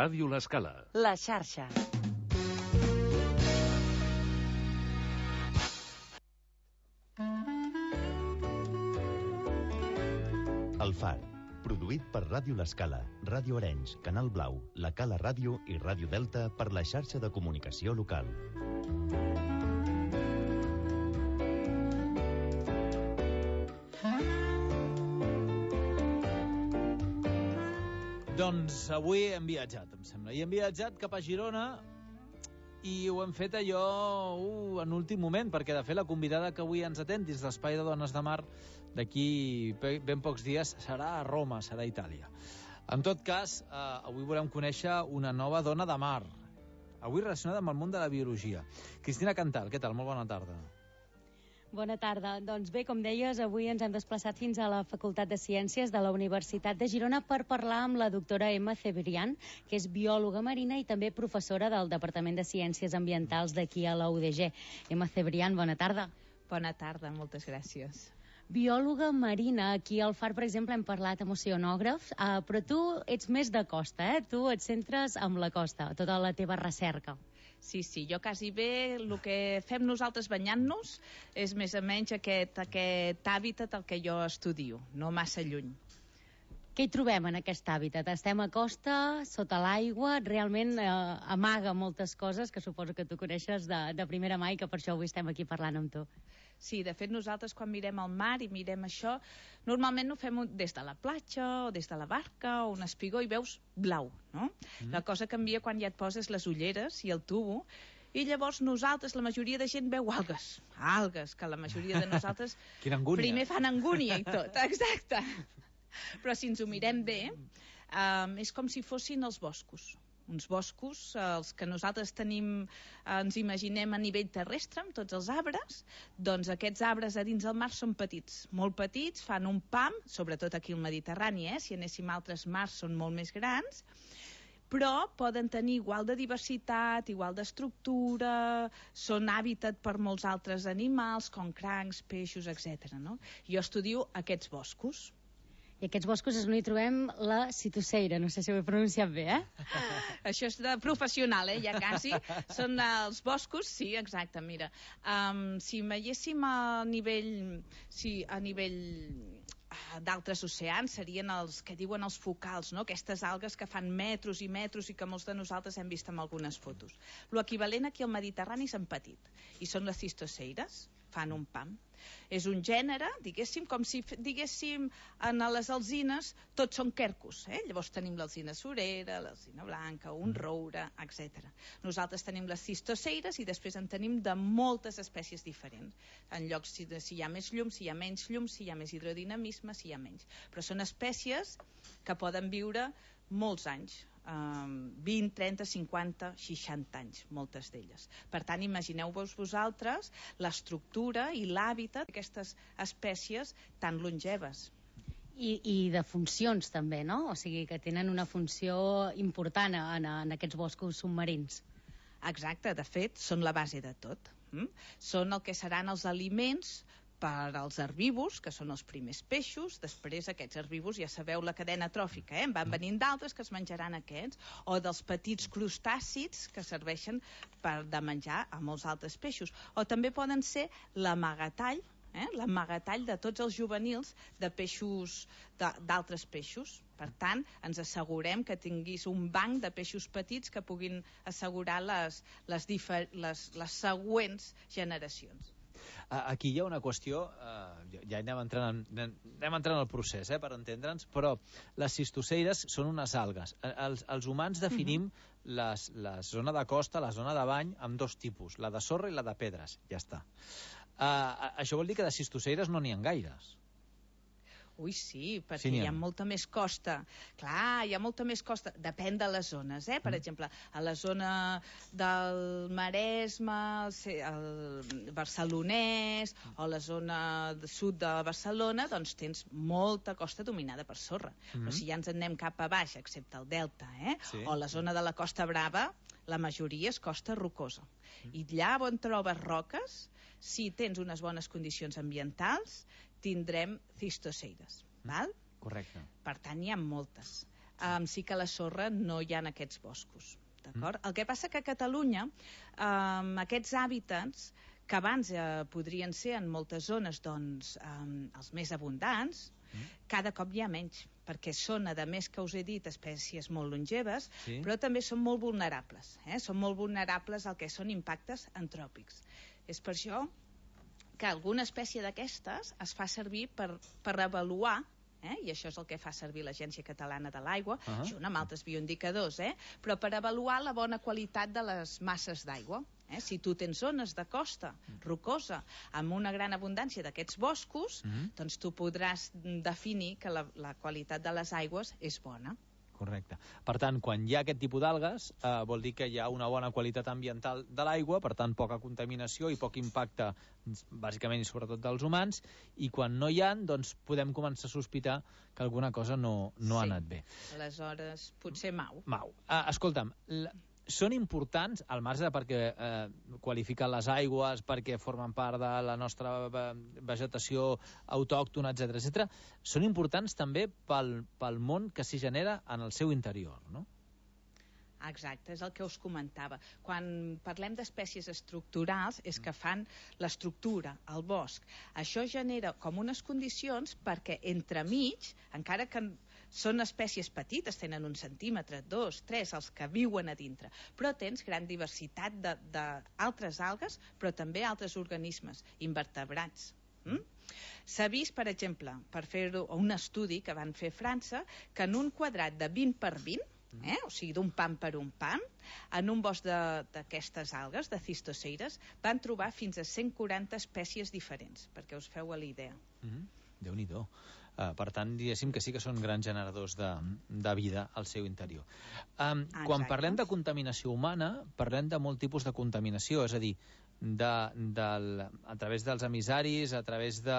Ràdio L'Escala. La xarxa. El Far, produït per Ràdio L'Escala, Ràdio Arenys, Canal Blau, La Cala Ràdio i Ràdio Delta per la xarxa de comunicació local. Doncs avui hem viatjat, em sembla. I hem viatjat cap a Girona i ho hem fet allò uh, en últim moment, perquè de fet la convidada que avui ens atén dins l'Espai de Dones de Mar d'aquí ben pocs dies serà a Roma, serà a Itàlia. En tot cas, eh, avui volem conèixer una nova dona de mar, avui relacionada amb el món de la biologia. Cristina Cantal, què tal? Molt bona tarda. Bona tarda. Doncs bé, com deies, avui ens hem desplaçat fins a la Facultat de Ciències de la Universitat de Girona per parlar amb la doctora Emma Cebrián, que és biòloga marina i també professora del Departament de Ciències Ambientals d'aquí a la U D G. Emma Cebrián, bona tarda. Bona tarda, moltes gràcies. Biòloga marina. Aquí al Far, per exemple, hem parlat amb oceanògrafs, eh, però tu ets més de costa, eh? Tu et centres amb la costa, tota la teva recerca. Sí, sí, jo quasi bé el que fem nosaltres banyant-nos és més o menys aquest, aquest hàbitat el que jo estudio, no massa lluny. Què hi trobem en aquest hàbitat? Estem a costa, sota l'aigua, realment eh, amaga moltes coses que suposo que tu coneixes de, de primera mà i que per això avui estem aquí parlant amb tu. Sí, de fet nosaltres quan mirem el mar i mirem això, normalment ho fem des de la platja o des de la barca o un espigó i veus blau, no? Mm. La cosa canvia quan ja et poses les ulleres i el tubo i llavors nosaltres, la majoria de gent veu algues, algues, que la majoria de nosaltres primer fan angúnia i tot, exacte. Però si ens ho mirem bé, um, és com si fossin els boscos. Uns boscos, els que nosaltres tenim, ens imaginem a nivell terrestre, amb tots els arbres, doncs aquests arbres a dins del mar són petits, molt petits, fan un pam, sobretot aquí al Mediterrani, eh? Si anéssim a altres mars són molt més grans, però poden tenir igual de diversitat, igual d'estructura, són hàbitat per molts altres animals, com crancs, peixos, etcètera. No? Jo estudio aquests boscos. I aquests boscos és on hi trobem la citoceira, no sé si ho he pronunciat bé, eh? Això és de professional, eh, ja quasi. Són els boscos, sí, exacte, mira. Um, si veiéssim a nivell, sí, a nivell d'altres oceans, serien els que diuen els focals, no? Aquestes algues que fan metres i metres i que molts de nosaltres hem vist en algunes fotos. L'equivalent aquí al Mediterrani és en petit, i són les cistoceires, fan un pam. És un gènere, diguéssim, com si diguéssim en les alzines tots són quercus, eh? Llavors tenim l'alzina surera, l'alzina blanca, un roure, etcètera. Nosaltres tenim les cistoceires i després en tenim de moltes espècies diferents, en llocs si, si hi ha més llum, si hi ha menys llum, si hi ha més hidrodinamisme, si hi ha menys. Però són espècies que poden viure molts anys, Um, vint, trenta, cinquanta, seixanta anys, moltes d'elles. Per tant, imagineu-vos vosaltres l'estructura i l'hàbitat d'aquestes espècies tan longeves. I, I de funcions també, no? O sigui, que tenen una funció important en, en aquests boscos submarins. Exacte, de fet, són la base de tot. Mm? Són el que seran els aliments per als herbívors, que són els primers peixos. Després aquests herbívors, ja sabeu la cadena tròfica, eh? En van venint d'altres que es menjaran aquests, o dels petits crustàcids que serveixen per de menjar a molts altres peixos, o també poden ser l'amagatall, eh? l'amagatall de tots els juvenils de peixos, d'altres peixos. Per tant, ens assegurem que tinguis un banc de peixos petits que puguin assegurar les, les, difer, les, les següents generacions. Aquí hi ha una qüestió, eh, ja anem entrant, en, anem entrant al procés, eh, per entendre'ns, però les cistoceires són unes algues. Els, els humans definim uh-huh. les, la zona de costa, la zona de bany, amb dos tipus, la de sorra i la de pedres, ja està. Uh, això vol dir que de cistoceires no n'hi ha gaires. Ui, sí, perquè sí, hi ha molta més costa. Clar, hi ha molta més costa. Depèn de les zones, eh? Per mm. exemple, a la zona del Maresme, el Barcelonès, o la zona sud de Barcelona, doncs tens molta costa dominada per sorra. Mm. Però si ja ens anem cap a baix, excepte el Delta, eh? Sí. O la zona de la Costa Brava, la majoria és costa rocosa. Mm. I allà on trobes roques, si tens unes bones condicions ambientals, tindrem cistoceires, val? Correcte. Per tant, hi ha moltes. Um, sí que a la sorra no hi ha aquests boscos. D'acord? Mm. El que passa que a Catalunya um, aquests hàbitats que abans eh, podrien ser en moltes zones doncs, um, els més abundants, mm. cada cop hi ha menys, perquè són, a més que us he dit, espècies molt longeves, sí. però també són molt vulnerables. Eh? Són molt vulnerables al que són impactes antròpics. És per això que alguna espècie d'aquestes es fa servir per, per avaluar, eh? i això és el que fa servir l'Agència Catalana de l'Aigua, uh -huh. junt amb altres bioindicadors, eh? però per avaluar la bona qualitat de les masses d'aigua. Eh? Si tu tens zones de costa rocosa amb una gran abundància d'aquests boscos, mm-hmm. doncs tu podràs definir que la, la qualitat de les aigües és bona. Correcte. Per tant, quan hi ha aquest tipus d'algues, eh, vol dir que hi ha una bona qualitat ambiental de l'aigua, per tant, poca contaminació i poc impacte, bàsicament i sobretot dels humans, i quan no hi ha, doncs podem començar a sospitar que alguna cosa no, no sí. ha anat bé. Aleshores, potser mau. Mau. Uh, escolta'm, la... són importants, al marge perquè eh, qualifiquen les aigües, perquè formen part de la nostra vegetació autòctona, etcètera, etcètera, són importants també pel, pel món que s'hi genera en el seu interior, no? Exacte, és el que us comentava. Quan parlem d'espècies estructurals és que fan l'estructura, el bosc. Això genera com unes condicions perquè entremig, encara que són espècies petites, tenen un centímetre, dos, tres, els que viuen a dintre, però tens gran diversitat d'altres algues, però també altres organismes, invertebrats. Mm? S'ha vist, per exemple, per fer un estudi que van fer a França, que en un quadrat de vint per vint, eh? o sigui, d'un pam per un pam, en un bosc d'aquestes algues, de cistoceires, van trobar fins a cent quaranta espècies diferents, perquè us feu a la idea. Mm-hmm. Déu-n'hi-do. Uh, per tant, diguéssim que sí que són grans generadors de, de vida al seu interior. Um, quan parlem de contaminació humana, parlem de molt tipus de contaminació, és a dir, de, de, a través dels emissaris, a través de,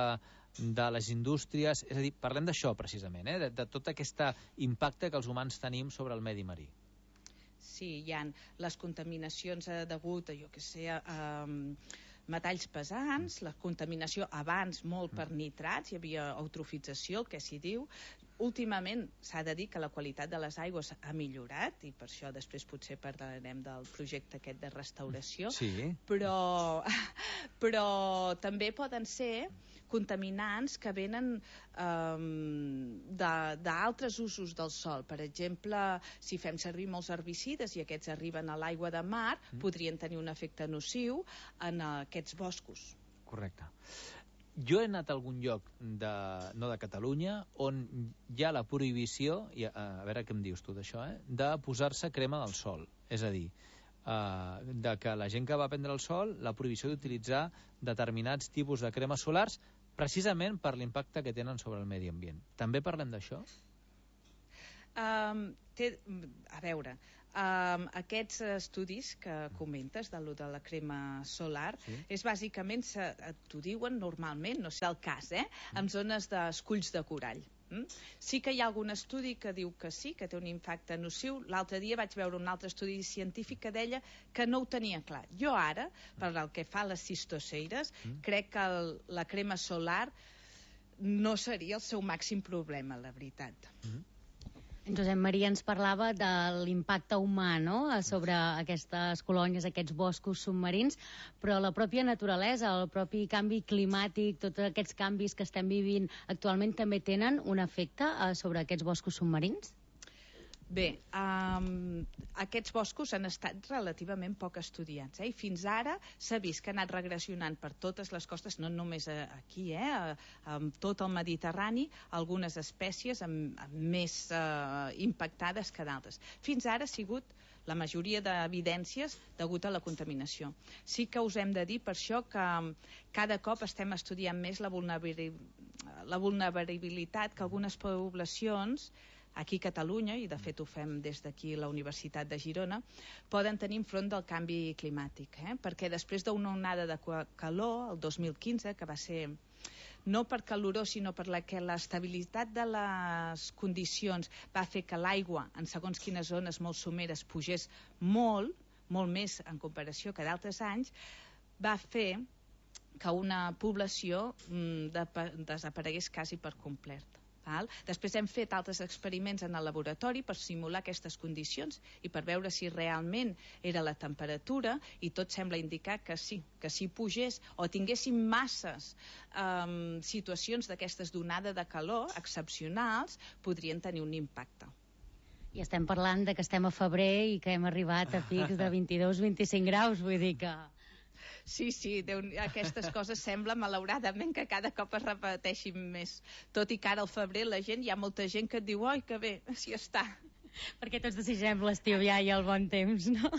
de les indústries, és a dir, parlem d'això precisament, eh? de, de tot aquest impacte que els humans tenim sobre el medi marí. Sí, hi ha les contaminacions degut a, jo què sé, a... Um, metalls pesants, la contaminació abans molt per nitrats, hi havia eutrofització, el que s'hi diu. Últimament s'ha de dir que la qualitat de les aigües ha millorat, i per això després potser parlarem del projecte aquest de restauració, sí. però, però també poden ser contaminants que venen um, d'altres usos del sòl. Per exemple, si fem servir molts herbicides i aquests arriben a l'aigua de mar, mm. podrien tenir un efecte nociu en aquests boscos. Correcte. Jo he anat a algun lloc, de, no de Catalunya, on hi ha la prohibició, i a, a veure què em dius tu d'això, eh, de posar-se crema del sol. És a dir, uh, de que la gent que va prendre el sol, la prohibició d'utilitzar determinats tipus de cremes solars precisament per l'impacte que tenen sobre el medi ambient. També parlem d'això? Um, té, a veure, um, aquests estudis que comentes de, lo de la crema solar, sí. és bàsicament, t'ho diuen normalment, no sé el cas, eh? en zones d'esculls de corall. Mm? Sí que hi ha algun estudi que diu que sí, que té un impacte nociu. L'altre dia vaig veure un altre estudi científic que deia que no ho tenia clar. Jo ara, per el que fa a les cistoceires, mm. crec que el, la crema solar no seria el seu màxim problema, la veritat. Mm. Josep Maria ens parlava de l'impacte humà, no?, sobre aquestes colònies, aquests boscos submarins, però la pròpia naturalesa, el propi canvi climàtic, tots aquests canvis que estem vivint actualment també tenen un efecte sobre aquests boscos submarins? Bé, um, aquests boscos han estat relativament poc estudiats, eh? i fins ara s'ha vist que ha anat regressionant per totes les costes, no només aquí, eh? amb tot el Mediterrani, algunes espècies amb, amb més uh, impactades que d'altres. Fins ara ha sigut la majoria d'evidències degut a la contaminació. Sí que us hem de dir per això que cada cop estem estudiant més la vulnerabilitat, la vulnerabilitat que algunes poblacions aquí a Catalunya, i de fet ho fem des d'aquí la Universitat de Girona, poden tenir enfront del canvi climàtic, eh? perquè després d'una onada de calor, el dos mil quinze, que va ser no per calorós, sinó per la que l'estabilitat de les condicions va fer que l'aigua en segons quines zones molt someres pugés molt, molt més en comparació que d'altres anys, va fer que una població mm, de, desaparegués quasi per complet. Val? Després hem fet altres experiments en el laboratori per simular aquestes condicions i per veure si realment era la temperatura, i tot sembla indicar que sí, que si pugés o tinguéssim masses um, situacions d'aquestes d'onada de calor excepcionals, podrien tenir un impacte. I estem parlant de que estem a febrer i que hem arribat a pics de vint-i-dos a vint-i-cinc graus, vull dir que... Sí, sí, Déu, aquestes coses sembla, malauradament, que cada cop es repeteixin més. Tot i que ara al febrer la gent, hi ha molta gent que et diu oi, que bé, si està. Perquè tots desitgem l'estiu ja i el bon temps, no?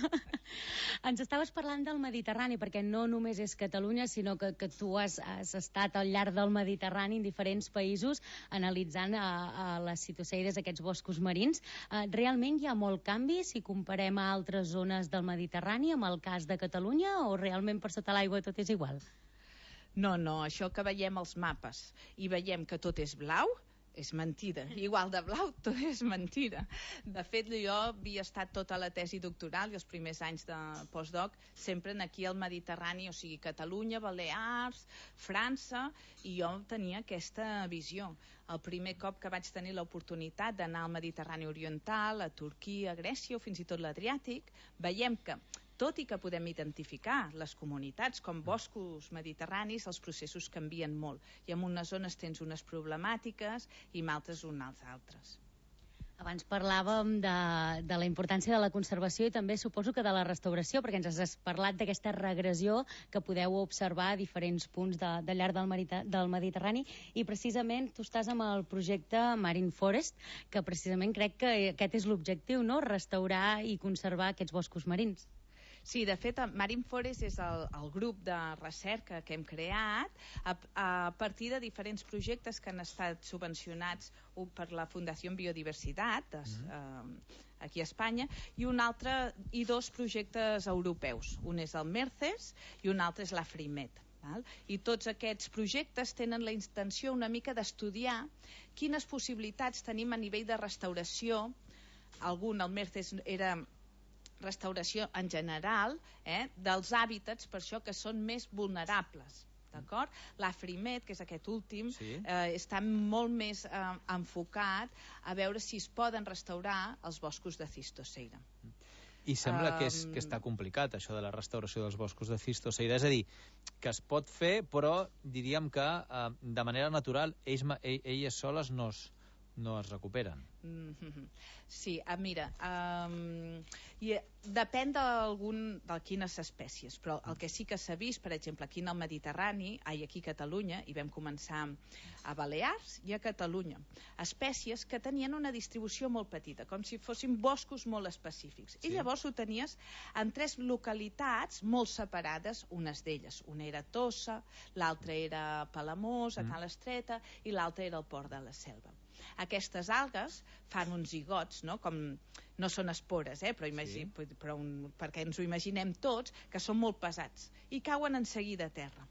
Ens estaves parlant del Mediterrani, perquè no només és Catalunya, sinó que, que tu has, has estat al llarg del Mediterrani en diferents països analitzant a, a les citoseides, aquests boscos marins. Uh, realment hi ha molt canvi si comparem a altres zones del Mediterrani amb el cas de Catalunya, o realment per sota l'aigua tot és igual? No, no, això que veiem als mapes i veiem que tot és blau, és mentida. Igual de blau, tot és mentira. De fet, jo havia estat tota la tesi doctoral i els primers anys de postdoc sempre aquí al Mediterrani, o sigui, Catalunya, Balears, França, i jo tenia aquesta visió. El primer cop que vaig tenir l'oportunitat d'anar al Mediterrani Oriental, a Turquia, a Grècia o fins i tot l'Adriàtic, veiem que tot i que podem identificar les comunitats com boscos mediterranis, els processos canvien molt. I en unes zones tens unes problemàtiques i en altres unes altres. Abans parlàvem de, de la importància de la conservació i també suposo que de la restauració, perquè ens has parlat d'aquesta regressió que podeu observar a diferents punts de, de llarg del, Merita, del Mediterrani, i precisament tu estàs amb el projecte Marine Forest, que precisament crec que aquest és l'objectiu, no? Restaurar i conservar aquests boscos marins. Sí, de fet, Marine Forest és el, el grup de recerca que hem creat a, a partir de diferents projectes que han estat subvencionats per la Fundació Biodiversitat de, eh, aquí a Espanya, i un altre i dos projectes europeus. Un és el MERCES i un altre és l'AFRIMED. Val? I tots aquests projectes tenen la intenció una mica d'estudiar quines possibilitats tenim a nivell de restauració. Algun, el MERCES era restauració en general, eh, dels hàbitats, per això que són més vulnerables. D'acord? L'AFRIMED, que és aquest últim, sí. eh, està molt més eh, enfocat a veure si es poden restaurar els boscos de cistoceira. I sembla um... que, és, que està complicat, això de la restauració dels boscos de cistoceira. És a dir, que es pot fer, però diríem que eh, de manera natural ells, elles soles no es, no es recuperen. Mm-hmm. Sí, ah, mira, um, i depèn d'algun, de quines espècies, però el que sí que s'ha vist, per exemple, aquí en el Mediterrani, ai, aquí a Catalunya, i vam començar a Balears i a Catalunya, espècies que tenien una distribució molt petita, com si fossin boscos molt específics. Sí. I llavors ho tenies en tres localitats molt separades, unes d'elles. Una era Tossa, l'altra era Palamós, a Cal Estreta, i l'altra era el Port de la Selva. Aquestes algues fan uns zigots, no? Com, no són espores, eh? però, imagi, sí. però un, perquè ens ho imaginem tots, que són molt pesats i cauen en seguida a terra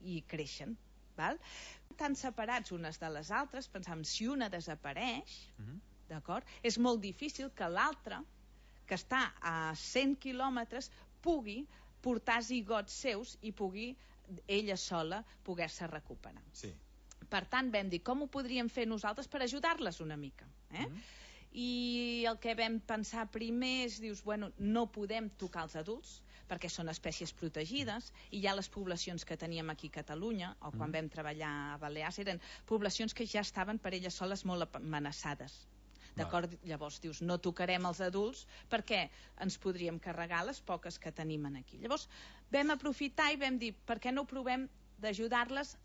i creixen. Val? Tan separats unes de les altres, pensam, si una desapareix, uh-huh. d'acord, és molt difícil que l'altra, que està a cent quilòmetres, pugui portar zigots seus i pugui ella sola poder-se recuperar. Sí. Per tant, vam dir, com ho podríem fer nosaltres per ajudar-les una mica? Eh? Mm. I el que vam pensar primer és, dius, bueno, no podem tocar els adults, perquè són espècies protegides, i ja les poblacions que teníem aquí a Catalunya, o quan mm. vam treballar a Balears, eren poblacions que ja estaven per elles soles molt amenaçades. D'acord? Llavors dius, no tocarem els adults perquè ens podríem carregar les poques que tenim aquí. Llavors vam aprofitar i vam dir, per què no provem d'ajudar-les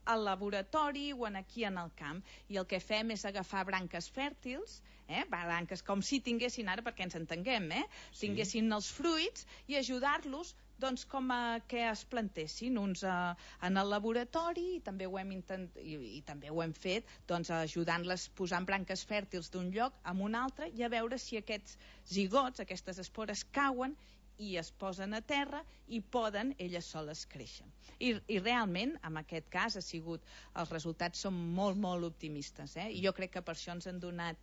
al laboratori o en aquí en el camp, i el que fem és agafar branques fèrtils, eh? branques com si tinguessin ara, perquè ens entenguem, eh? Sí. tinguessin els fruits, i ajudar-los doncs, com a que es plantessin uns a, en el laboratori, i també ho hem, intent, i, i també ho hem fet doncs, ajudant-les posant branques fèrtils d'un lloc a un altre, i a veure si aquests zigots, aquestes espores cauen i es posen a terra i poden elles soles créixer. I, i realment, en aquest cas, ha sigut, els resultats són molt, molt optimistes. Eh? I jo crec que per això ens han donat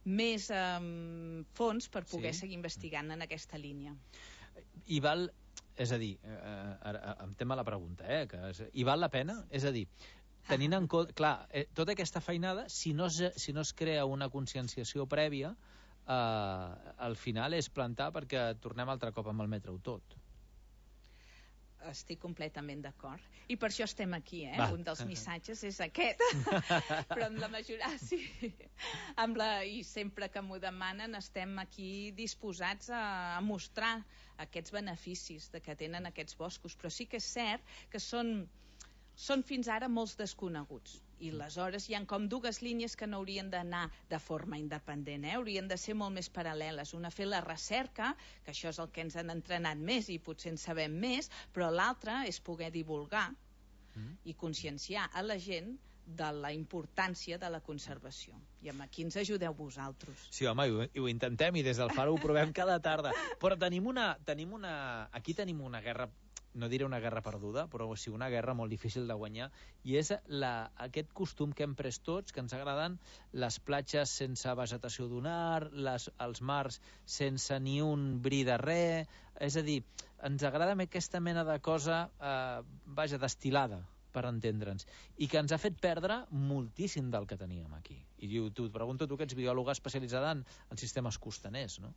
més um, fons per poder sí. seguir investigant en aquesta línia. I val, és a dir, eh, ara, em tema la pregunta, eh, que és, i val la pena? És a dir, tenint en compte... Clar, eh, tota aquesta feinada, si no es, si no es crea una conscienciació prèvia, eh, al final és plantar perquè tornem altre cop amb el metro tot. Estic completament d'acord. I per això estem aquí, eh? Va. Un dels missatges és aquest. Però amb la majoria, sí. Amb la, I sempre que m'ho demanen estem aquí disposats a, a mostrar aquests beneficis de que tenen aquests boscos. Però sí que és cert que són, són fins ara molts desconeguts. I aleshores hi ha com dues línies que no haurien d'anar de forma independent, eh? Haurien de ser molt més paral·leles. Una, fer la recerca, que això és el que ens han entrenat més i potser en sabem més, però l'altra és poder divulgar mm. i conscienciar a la gent de la importància de la conservació. I aquí ens ajudeu vosaltres. Sí, home, i ho, i ho intentem, i des del Faro ho provem cada tarda. Però tenim una, tenim una... Aquí tenim una guerra... no diré una guerra perduda, però sí una guerra molt difícil de guanyar, i és la, aquest costum que hem pres tots, que ens agraden les platges sense vegetació dunar, les, els mars sense ni un bri de res, és a dir, ens agrada aquesta mena de cosa, eh, vaja, destilada, per entendre'ns, i que ens ha fet perdre moltíssim del que teníem aquí. I diu, tu, et pregunto, tu que ets biòloga especialitzada en, en sistemes costaners, no?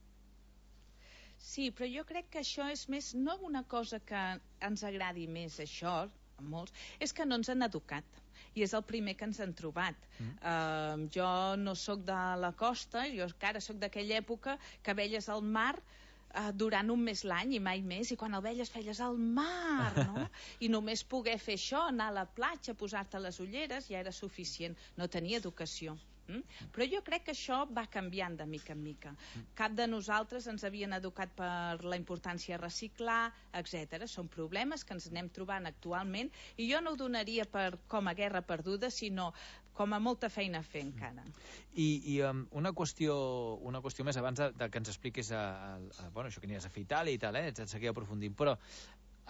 Sí, però jo crec que això és més, no una cosa que ens agradi més, això, a molts, és que no ens han educat. I és el primer que ens han trobat. Mm. Uh, jo no sóc de la costa, jo encara sóc d'aquella època que veies el mar uh, durant un mes l'any i mai més, i quan el veies feies al mar, no? I només poder fer això, anar a la platja, posar-te les ulleres, ja era suficient. No tenia educació. Mm? Però jo crec que això va canviant de mica en mica. Cap de nosaltres ens havien educat per la importància de reciclar, etcètera. Són problemes que ens anem trobant actualment, i jo no ho donaria per, com a guerra perduda, sinó com a molta feina a fer encara. I, i um, una, qüestió, una qüestió més abans de, de que ens expliquis a, a, a, bueno, això que anies a fer Itàlia i tal, eh? Ets seguir aprofundint, però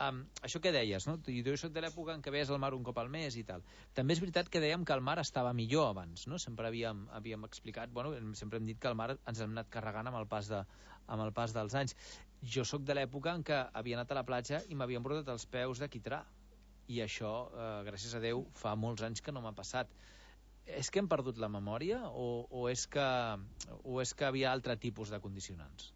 Um, això que deies, no? Jo soc de l'època en què veies el mar un cop al mes i tal. També és veritat que dèiem que el mar estava millor abans, no? Sempre havíem, havíem explicat, bueno, sempre hem dit que el mar ens hem anat carregant amb el pas, de, amb el pas dels anys. Jo sóc de l'època en què havia anat a la platja i m'havien brotat els peus de quitrà, i això, eh, gràcies a Déu, fa molts anys que no m'ha passat. És que hem perdut la memòria o, o, és que, o és que havia altre tipus de condicionants?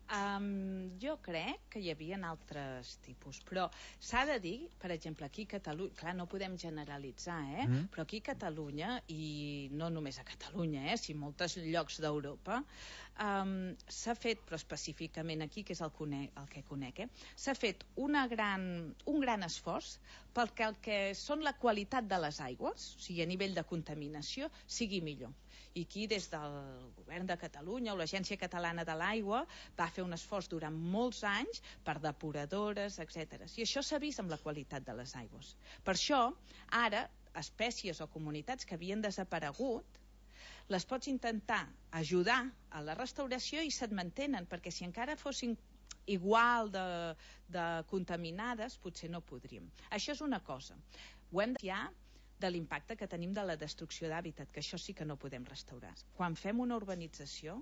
Um, jo crec que hi havia altres tipus, però s'ha de dir, per exemple, aquí a Catalunya, clar, no podem generalitzar, eh? Mm. Però aquí a Catalunya, i no només a Catalunya, eh? Si molts llocs d'Europa, um, s'ha fet, però específicament aquí, que és el, conec, el que conec, eh? S'ha fet una gran, un gran esforç perquè el que són la qualitat de les aigües, o sigui, a nivell de contaminació, sigui millor. I aquí, des del govern de Catalunya o l'Agència Catalana de l'Aigua, va fer un esforç durant molts anys per depuradores, etcètera. I això s'ha vist amb la qualitat de les aigües. Per això, ara, espècies o comunitats que havien desaparegut, les pots intentar ajudar a la restauració i se't mantenen, perquè si encara fossin igual de, de contaminades, potser no podríem. Això és una cosa. Ho hem de de l'impacte que tenim de la destrucció d'hàbitat, que això sí que no podem restaurar. Quan fem una urbanització,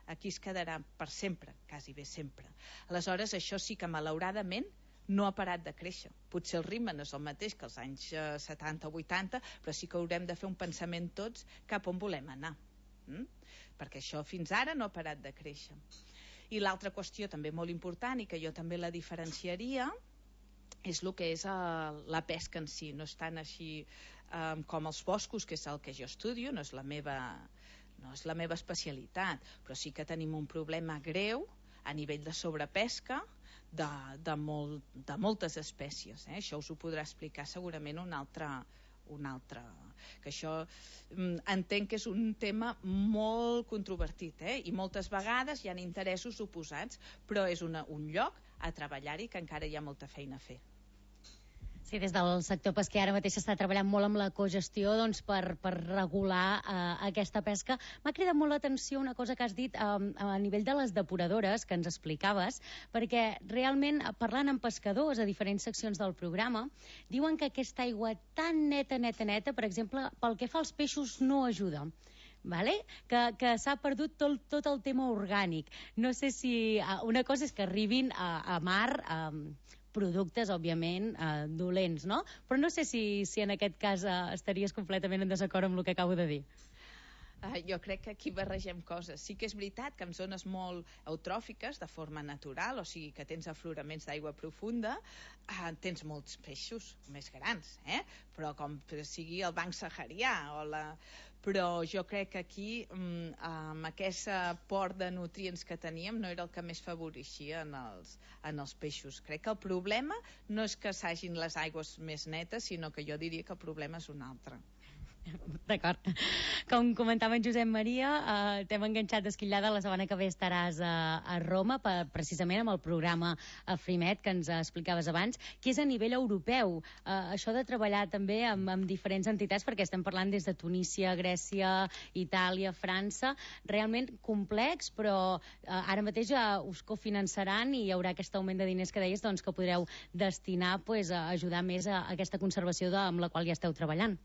aquí es quedarà per sempre, quasi bé sempre. Aleshores, això sí que malauradament no ha parat de créixer. Potser el ritme no és el mateix que els anys setanta o vuitanta, però sí que haurem de fer un pensament tots cap on volem anar. Mm? Perquè això fins ara no ha parat de créixer. I l'altra qüestió també molt important, i que jo també la diferenciaria, és el que és uh, la pesca en si. No és tan així um, com els boscos, que és el que jo estudio, no és la meva, no és la meva especialitat, però sí que tenim un problema greu a nivell de sobrepesca de, de, molt, de moltes espècies. Eh? Això us ho podrà explicar segurament un altre, un altre que això mm, entenc que és un tema molt controvertit, eh? I moltes vegades hi ha interessos oposats, però és una, un lloc a treballar-hi que encara hi ha molta feina a fer. Sí, des del sector pesquer ara mateix s'està treballant molt amb la cogestió, doncs, per, per regular eh, aquesta pesca. M'ha cridat molt l'atenció una cosa que has dit eh, a nivell de les depuradores, que ens explicaves, perquè realment, parlant amb pescadors a diferents seccions del programa, diuen que aquesta aigua tan neta, neta, neta, per exemple, pel que fa als peixos no ajuda. Vale? Que, que s'ha perdut tot, tot el tema orgànic. No sé si... Uh, una cosa és que arribin a, a mar... Um, productes, òbviament, eh, dolents, no? Però no sé si, si en aquest cas eh, estaries completament en desacord amb el que acabo de dir. Uh, jo crec que aquí barregem coses. Sí que és veritat que en zones molt eutròfiques, de forma natural, o sigui que tens afloraments d'aigua profunda, uh, tens molts peixos més grans, eh? Però com sigui el banc saharià o la... Però jo crec que aquí, um, amb aquest aport de nutrients que teníem, no era el que més favoreixia en els, en els peixos. Crec que el problema no és que s'hagin les aigües més netes, sinó que jo diria que el problema és un altre. D'acord. Com comentava en Josep Maria, eh, t'hem enganxat d'esquillada. La setmana que ve estaràs a, a Roma, per, precisament amb el programa Frimet, que ens explicaves abans, que és a nivell europeu. Eh, això de treballar també amb, amb diferents entitats, perquè estem parlant des de Tunísia, Grècia, Itàlia, França, realment complex, però eh, ara mateix eh, us cofinançaran i hi haurà aquest augment de diners que deies, doncs, que podreu destinar pues, a ajudar més a aquesta conservació de, amb la qual ja esteu treballant.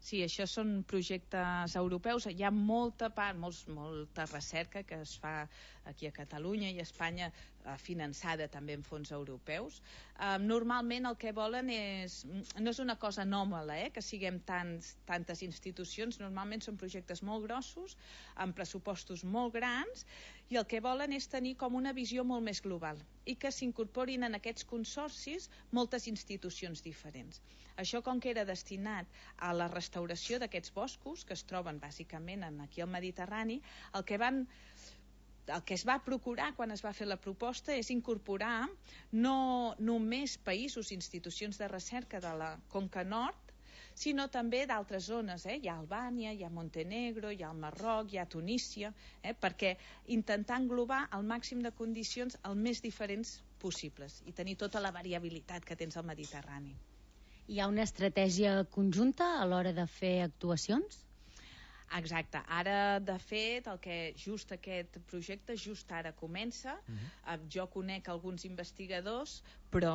Sí, això són projectes europeus. Hi ha molta part, molts, molta recerca que es fa aquí a Catalunya i a Espanya, eh, finançada també en fons europeus. Eh, normalment el que volen és... No és una cosa anòmala, eh, que siguem tants, tantes institucions. Normalment són projectes molt grossos, amb pressupostos molt grans, i el que volen és tenir com una visió molt més global i que s'incorporin en aquests consorcis moltes institucions diferents. Això, com que era destinat a la restauració d'aquests boscos, que es troben bàsicament en, aquí al Mediterrani, el que van... el que es va procurar quan es va fer la proposta és incorporar no només països i institucions de recerca de la Conca Nord, sinó també d'altres zones. Eh? Hi ha Albània, hi ha Montenegro, hi ha el Marroc, hi ha Tunísia, eh? perquè intentar englobar el màxim de condicions el més diferents possibles i tenir tota la variabilitat que tens al Mediterrani. Hi ha una estratègia conjunta a l'hora de fer actuacions? Exacte. Ara, de fet, el que just aquest projecte just ara comença. Uh-huh. Jo conec alguns investigadors, però,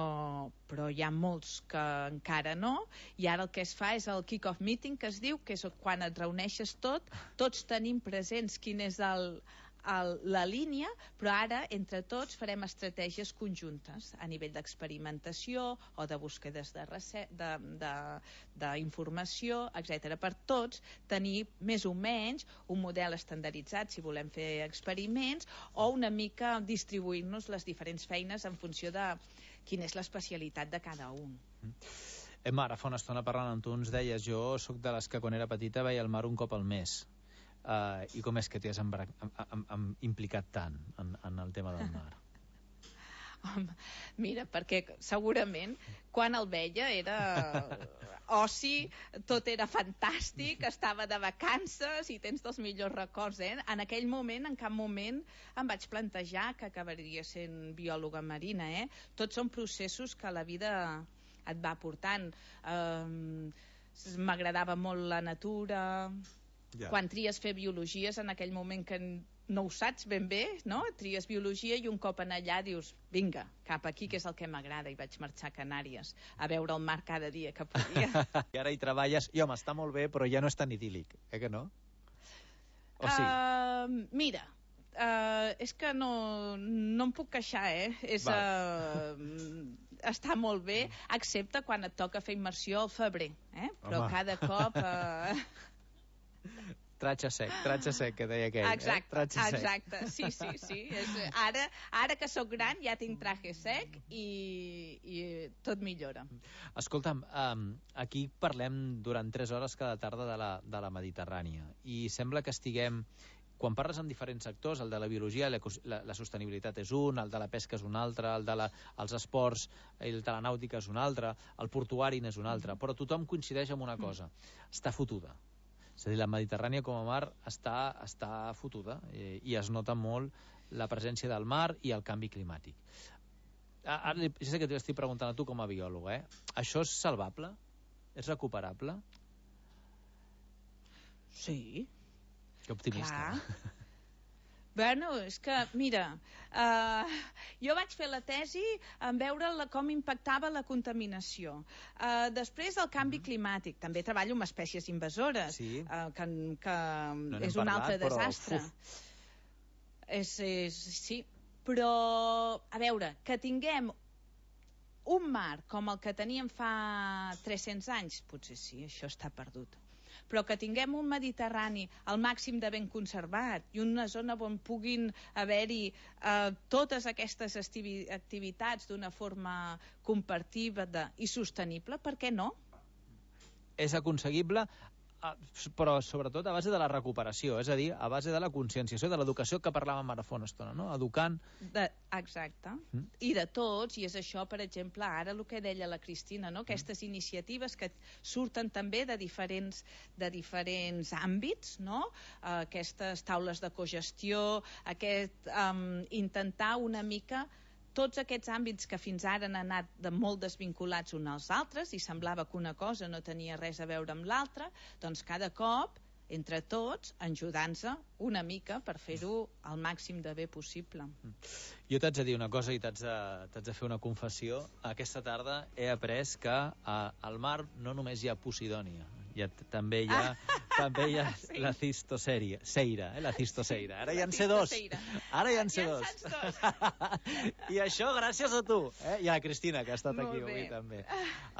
però hi ha molts que encara no, i ara el que es fa és el kick-off meeting, que es diu, que és quan et reuneixes tot, tots tenim presents quin és el... El, la línia, però ara entre tots farem estratègies conjuntes a nivell d'experimentació o de búsquedes d'informació, etcètera. Per tots tenir més o menys un model estandarditzat si volem fer experiments, o una mica distribuir-nos les diferents feines en funció de quina és l'especialitat de cada un. Emma, ara fa una estona parlant amb tu ens deies, jo sóc de les que quan era petita veia el mar un cop al mes. Uh, I com és que t'hi has embra... am, am, am implicat tant en, en el tema del mar? Home, mira, perquè segurament quan el veia era oci, tot era fantàstic, estava de vacances i tens dels millors records, eh? En aquell moment, en cap moment em vaig plantejar que acabaria sent biòloga marina, eh? Tots són processos que la vida et va portant. Um, m'agradava molt la natura... Yeah. Quan tries fer biologies, en aquell moment que no ho saps ben bé, no? Tries biologia i un cop en allà dius, vinga, cap aquí, que és el que m'agrada, i vaig marxar a Canàries a veure el mar cada dia que podia. I ara hi treballes, i home, està molt bé, però ja no és tan idíl·lic, eh que no? O sí? Uh, mira, uh, és que no, no em puc queixar, eh? És... Uh, està molt bé, excepte quan et toca fer immersió al febrer, eh? Però home. Cada cop... Uh, Tratge sec, tratge sec, que deia aquell. Exacte, eh? exacte, sí, sí, sí. És, ara, ara que sóc gran ja tinc traje sec i, i tot millora. Escolta'm, um, aquí parlem durant tres hores cada tarda de la, de la Mediterrània i sembla que estiguem... Quan parles amb diferents sectors, el de la biologia, la, la, la sostenibilitat és un, el de la pesca és un altre, el de la, els esports, el de la nàutica és un altre, el portuari n'és un altre, però tothom coincideix en una cosa, està fotuda. És a dir, la Mediterrània com a mar està, està fotuda eh, i es nota molt la presència del mar i el canvi climàtic. Ara, ja sé que t'estic preguntant a tu com a biòleg, eh? Això és salvable? És recuperable? Sí. Que optimista. Clar. Bueno, és que, mira, uh, jo vaig fer la tesi en veure la, com impactava la contaminació. Uh, després el canvi climàtic. També treballo amb espècies invasores, sí. uh, que, que no és un parlat, altre desastre. És, és, sí, però, a veure, que tinguem un mar com el que teníem fa tres-cents anys, potser sí, això està perdut. Però que tinguem un Mediterrani al màxim de ben conservat i una zona on puguin haver-hi eh, totes aquestes activitats d'una forma compartida i sostenible, per què no? És aconseguible, però sobretot a base de la recuperació, és a dir, a base de la conscienciació, de l'educació que parlàvem ara fa una estona, no? Educant... De, exacte. Mm. I de tots, i és això, per exemple, ara el que deia la Cristina, no? Aquestes mm. iniciatives que surten també de diferents, de diferents àmbits, no? Uh, aquestes taules de cogestió, aquest um, intentar una mica... tots aquests àmbits que fins ara han anat de molt desvinculats uns als altres i semblava que una cosa no tenia res a veure amb l'altra, doncs cada cop, entre tots, ajudant-se una mica per fer-ho al màxim de bé possible. Jo t'haig de dir una cosa i t'haig de, t'haig de fer una confessió. Aquesta tarda he après que a, al mar no només hi ha Posidònia, hi ha, també hi ha, també hi ha sí. la cistoseira, seira, eh, la cistoseira. Ara hi en sé dos. Ara hi en sé dos. I això gràcies a tu, eh? I a la Cristina, que ha estat Molt aquí bé. avui també.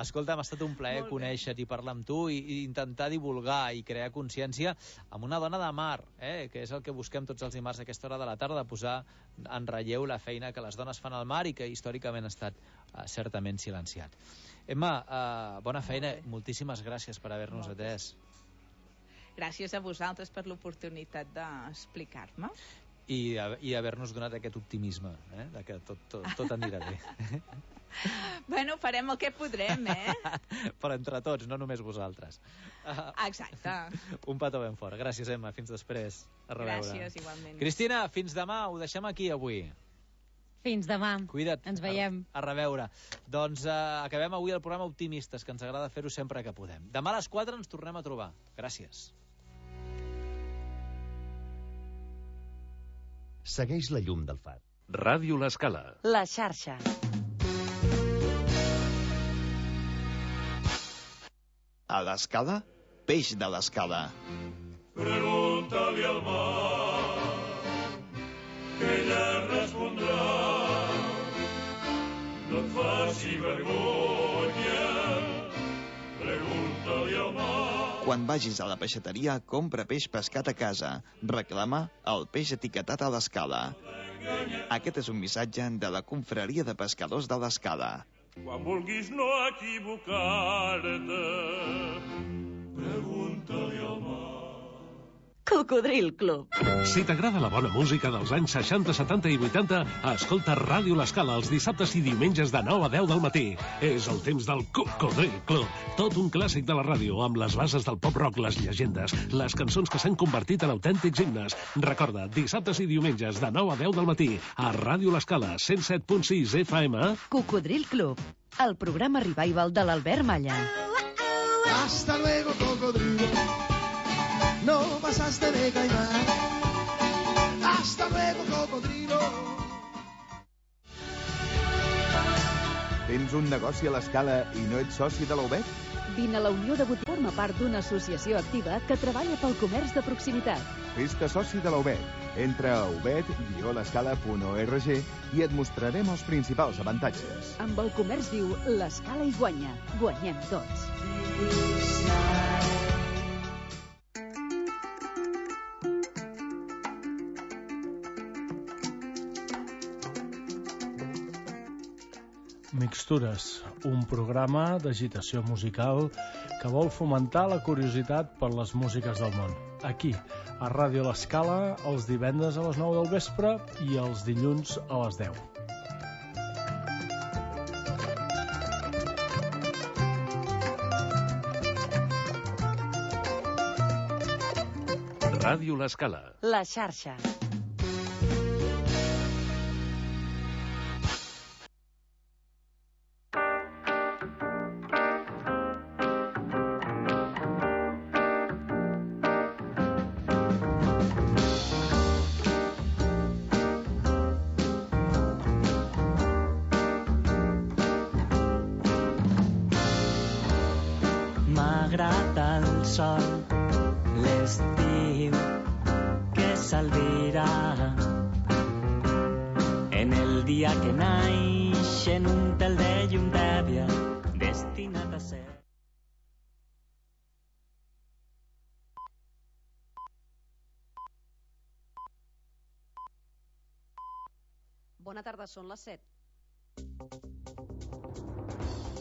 Escolta, m'ha estat un plaer conèixer-te i parlar amb tu i, i intentar divulgar i crear consciència amb una dona de mar, eh? Que és el que busquem tots els dimarts a aquesta hora de la tarda, posar en relleu la feina que les dones fan al mar i que històricament ha estat uh, certament silenciat. Emma, uh, bona feina, moltíssimes gràcies per haver-nos atès. Gràcies a vosaltres per l'oportunitat d'explicar-me. I, i haver-nos donat aquest optimisme, eh? De que tot, tot, tot anirà bé. Bueno, farem el que podrem, eh? Però entre tots, no només vosaltres. Exacte. Un petó ben fort. Gràcies, Emma. Fins després. A reveure. Gràcies, igualment. Cristina, fins demà. Ho deixem aquí avui. Fins demà. Cuida't. Ens veiem. A, a reveure. Doncs uh, acabem avui el programa Optimistes, que ens agrada fer-ho sempre que podem. Demà a les quatre ens tornem a trobar. Gràcies. Segueix la llum del far. Ràdio L'Escala. La xarxa. A l'Escala, peix de l'Escala. Pregunta-li al mar, que ella respondrà. No et faci vergonya, pregunta-li al mar. Quan vagis a la peixateria, compra peix pescat a casa. Reclama el peix etiquetat a l'Escala. Aquest és un missatge de la Confraria de Pescadors de l'Escala. Quan vulguis no equivocar-te, pregunta-li al mar. Cocodril Club. Si t'agrada la bona música dels anys seixanta, setanta i vuitanta, escolta Ràdio L'Escala els dissabtes i diumenges de nou a deu del matí. És el temps del Cocodril Club. Tot un clàssic de la ràdio, amb les bases del pop-rock, les llegendes, les cançons que s'han convertit en autèntics himnes. Recorda, dissabtes i diumenges de nou a deu del matí, a Ràdio L'Escala, cent set punt sis F M. Cocodril Club, el programa revival de l'Albert Malla. Hasta luego, cocodrilo. No pasaste de caimán. Hasta luego, cocodrilo. Tens un negoci a l'Escala i no ets soci de la U B E T? Vine a la Unió de Botigues, forma part d'una associació activa que treballa pel comerç de proximitat. Fes-te soci de la U B E T. Entra a ubet guió l'escala punt org i et mostrarem els principals avantatges. Amb el comerç viu, l'Escala hi guanya. Guanyem tots. Mixtures, un programa d'agitació musical que vol fomentar la curiositat per les músiques del món. Aquí, a Ràdio L'Escala, els divendres a les nou del vespre i els dilluns a les deu. Ràdio L'Escala. La xarxa. M'agrada el sol, l'estiu que s'albirà en el dia que naix en un tel de llum de Bona tarda, són les set.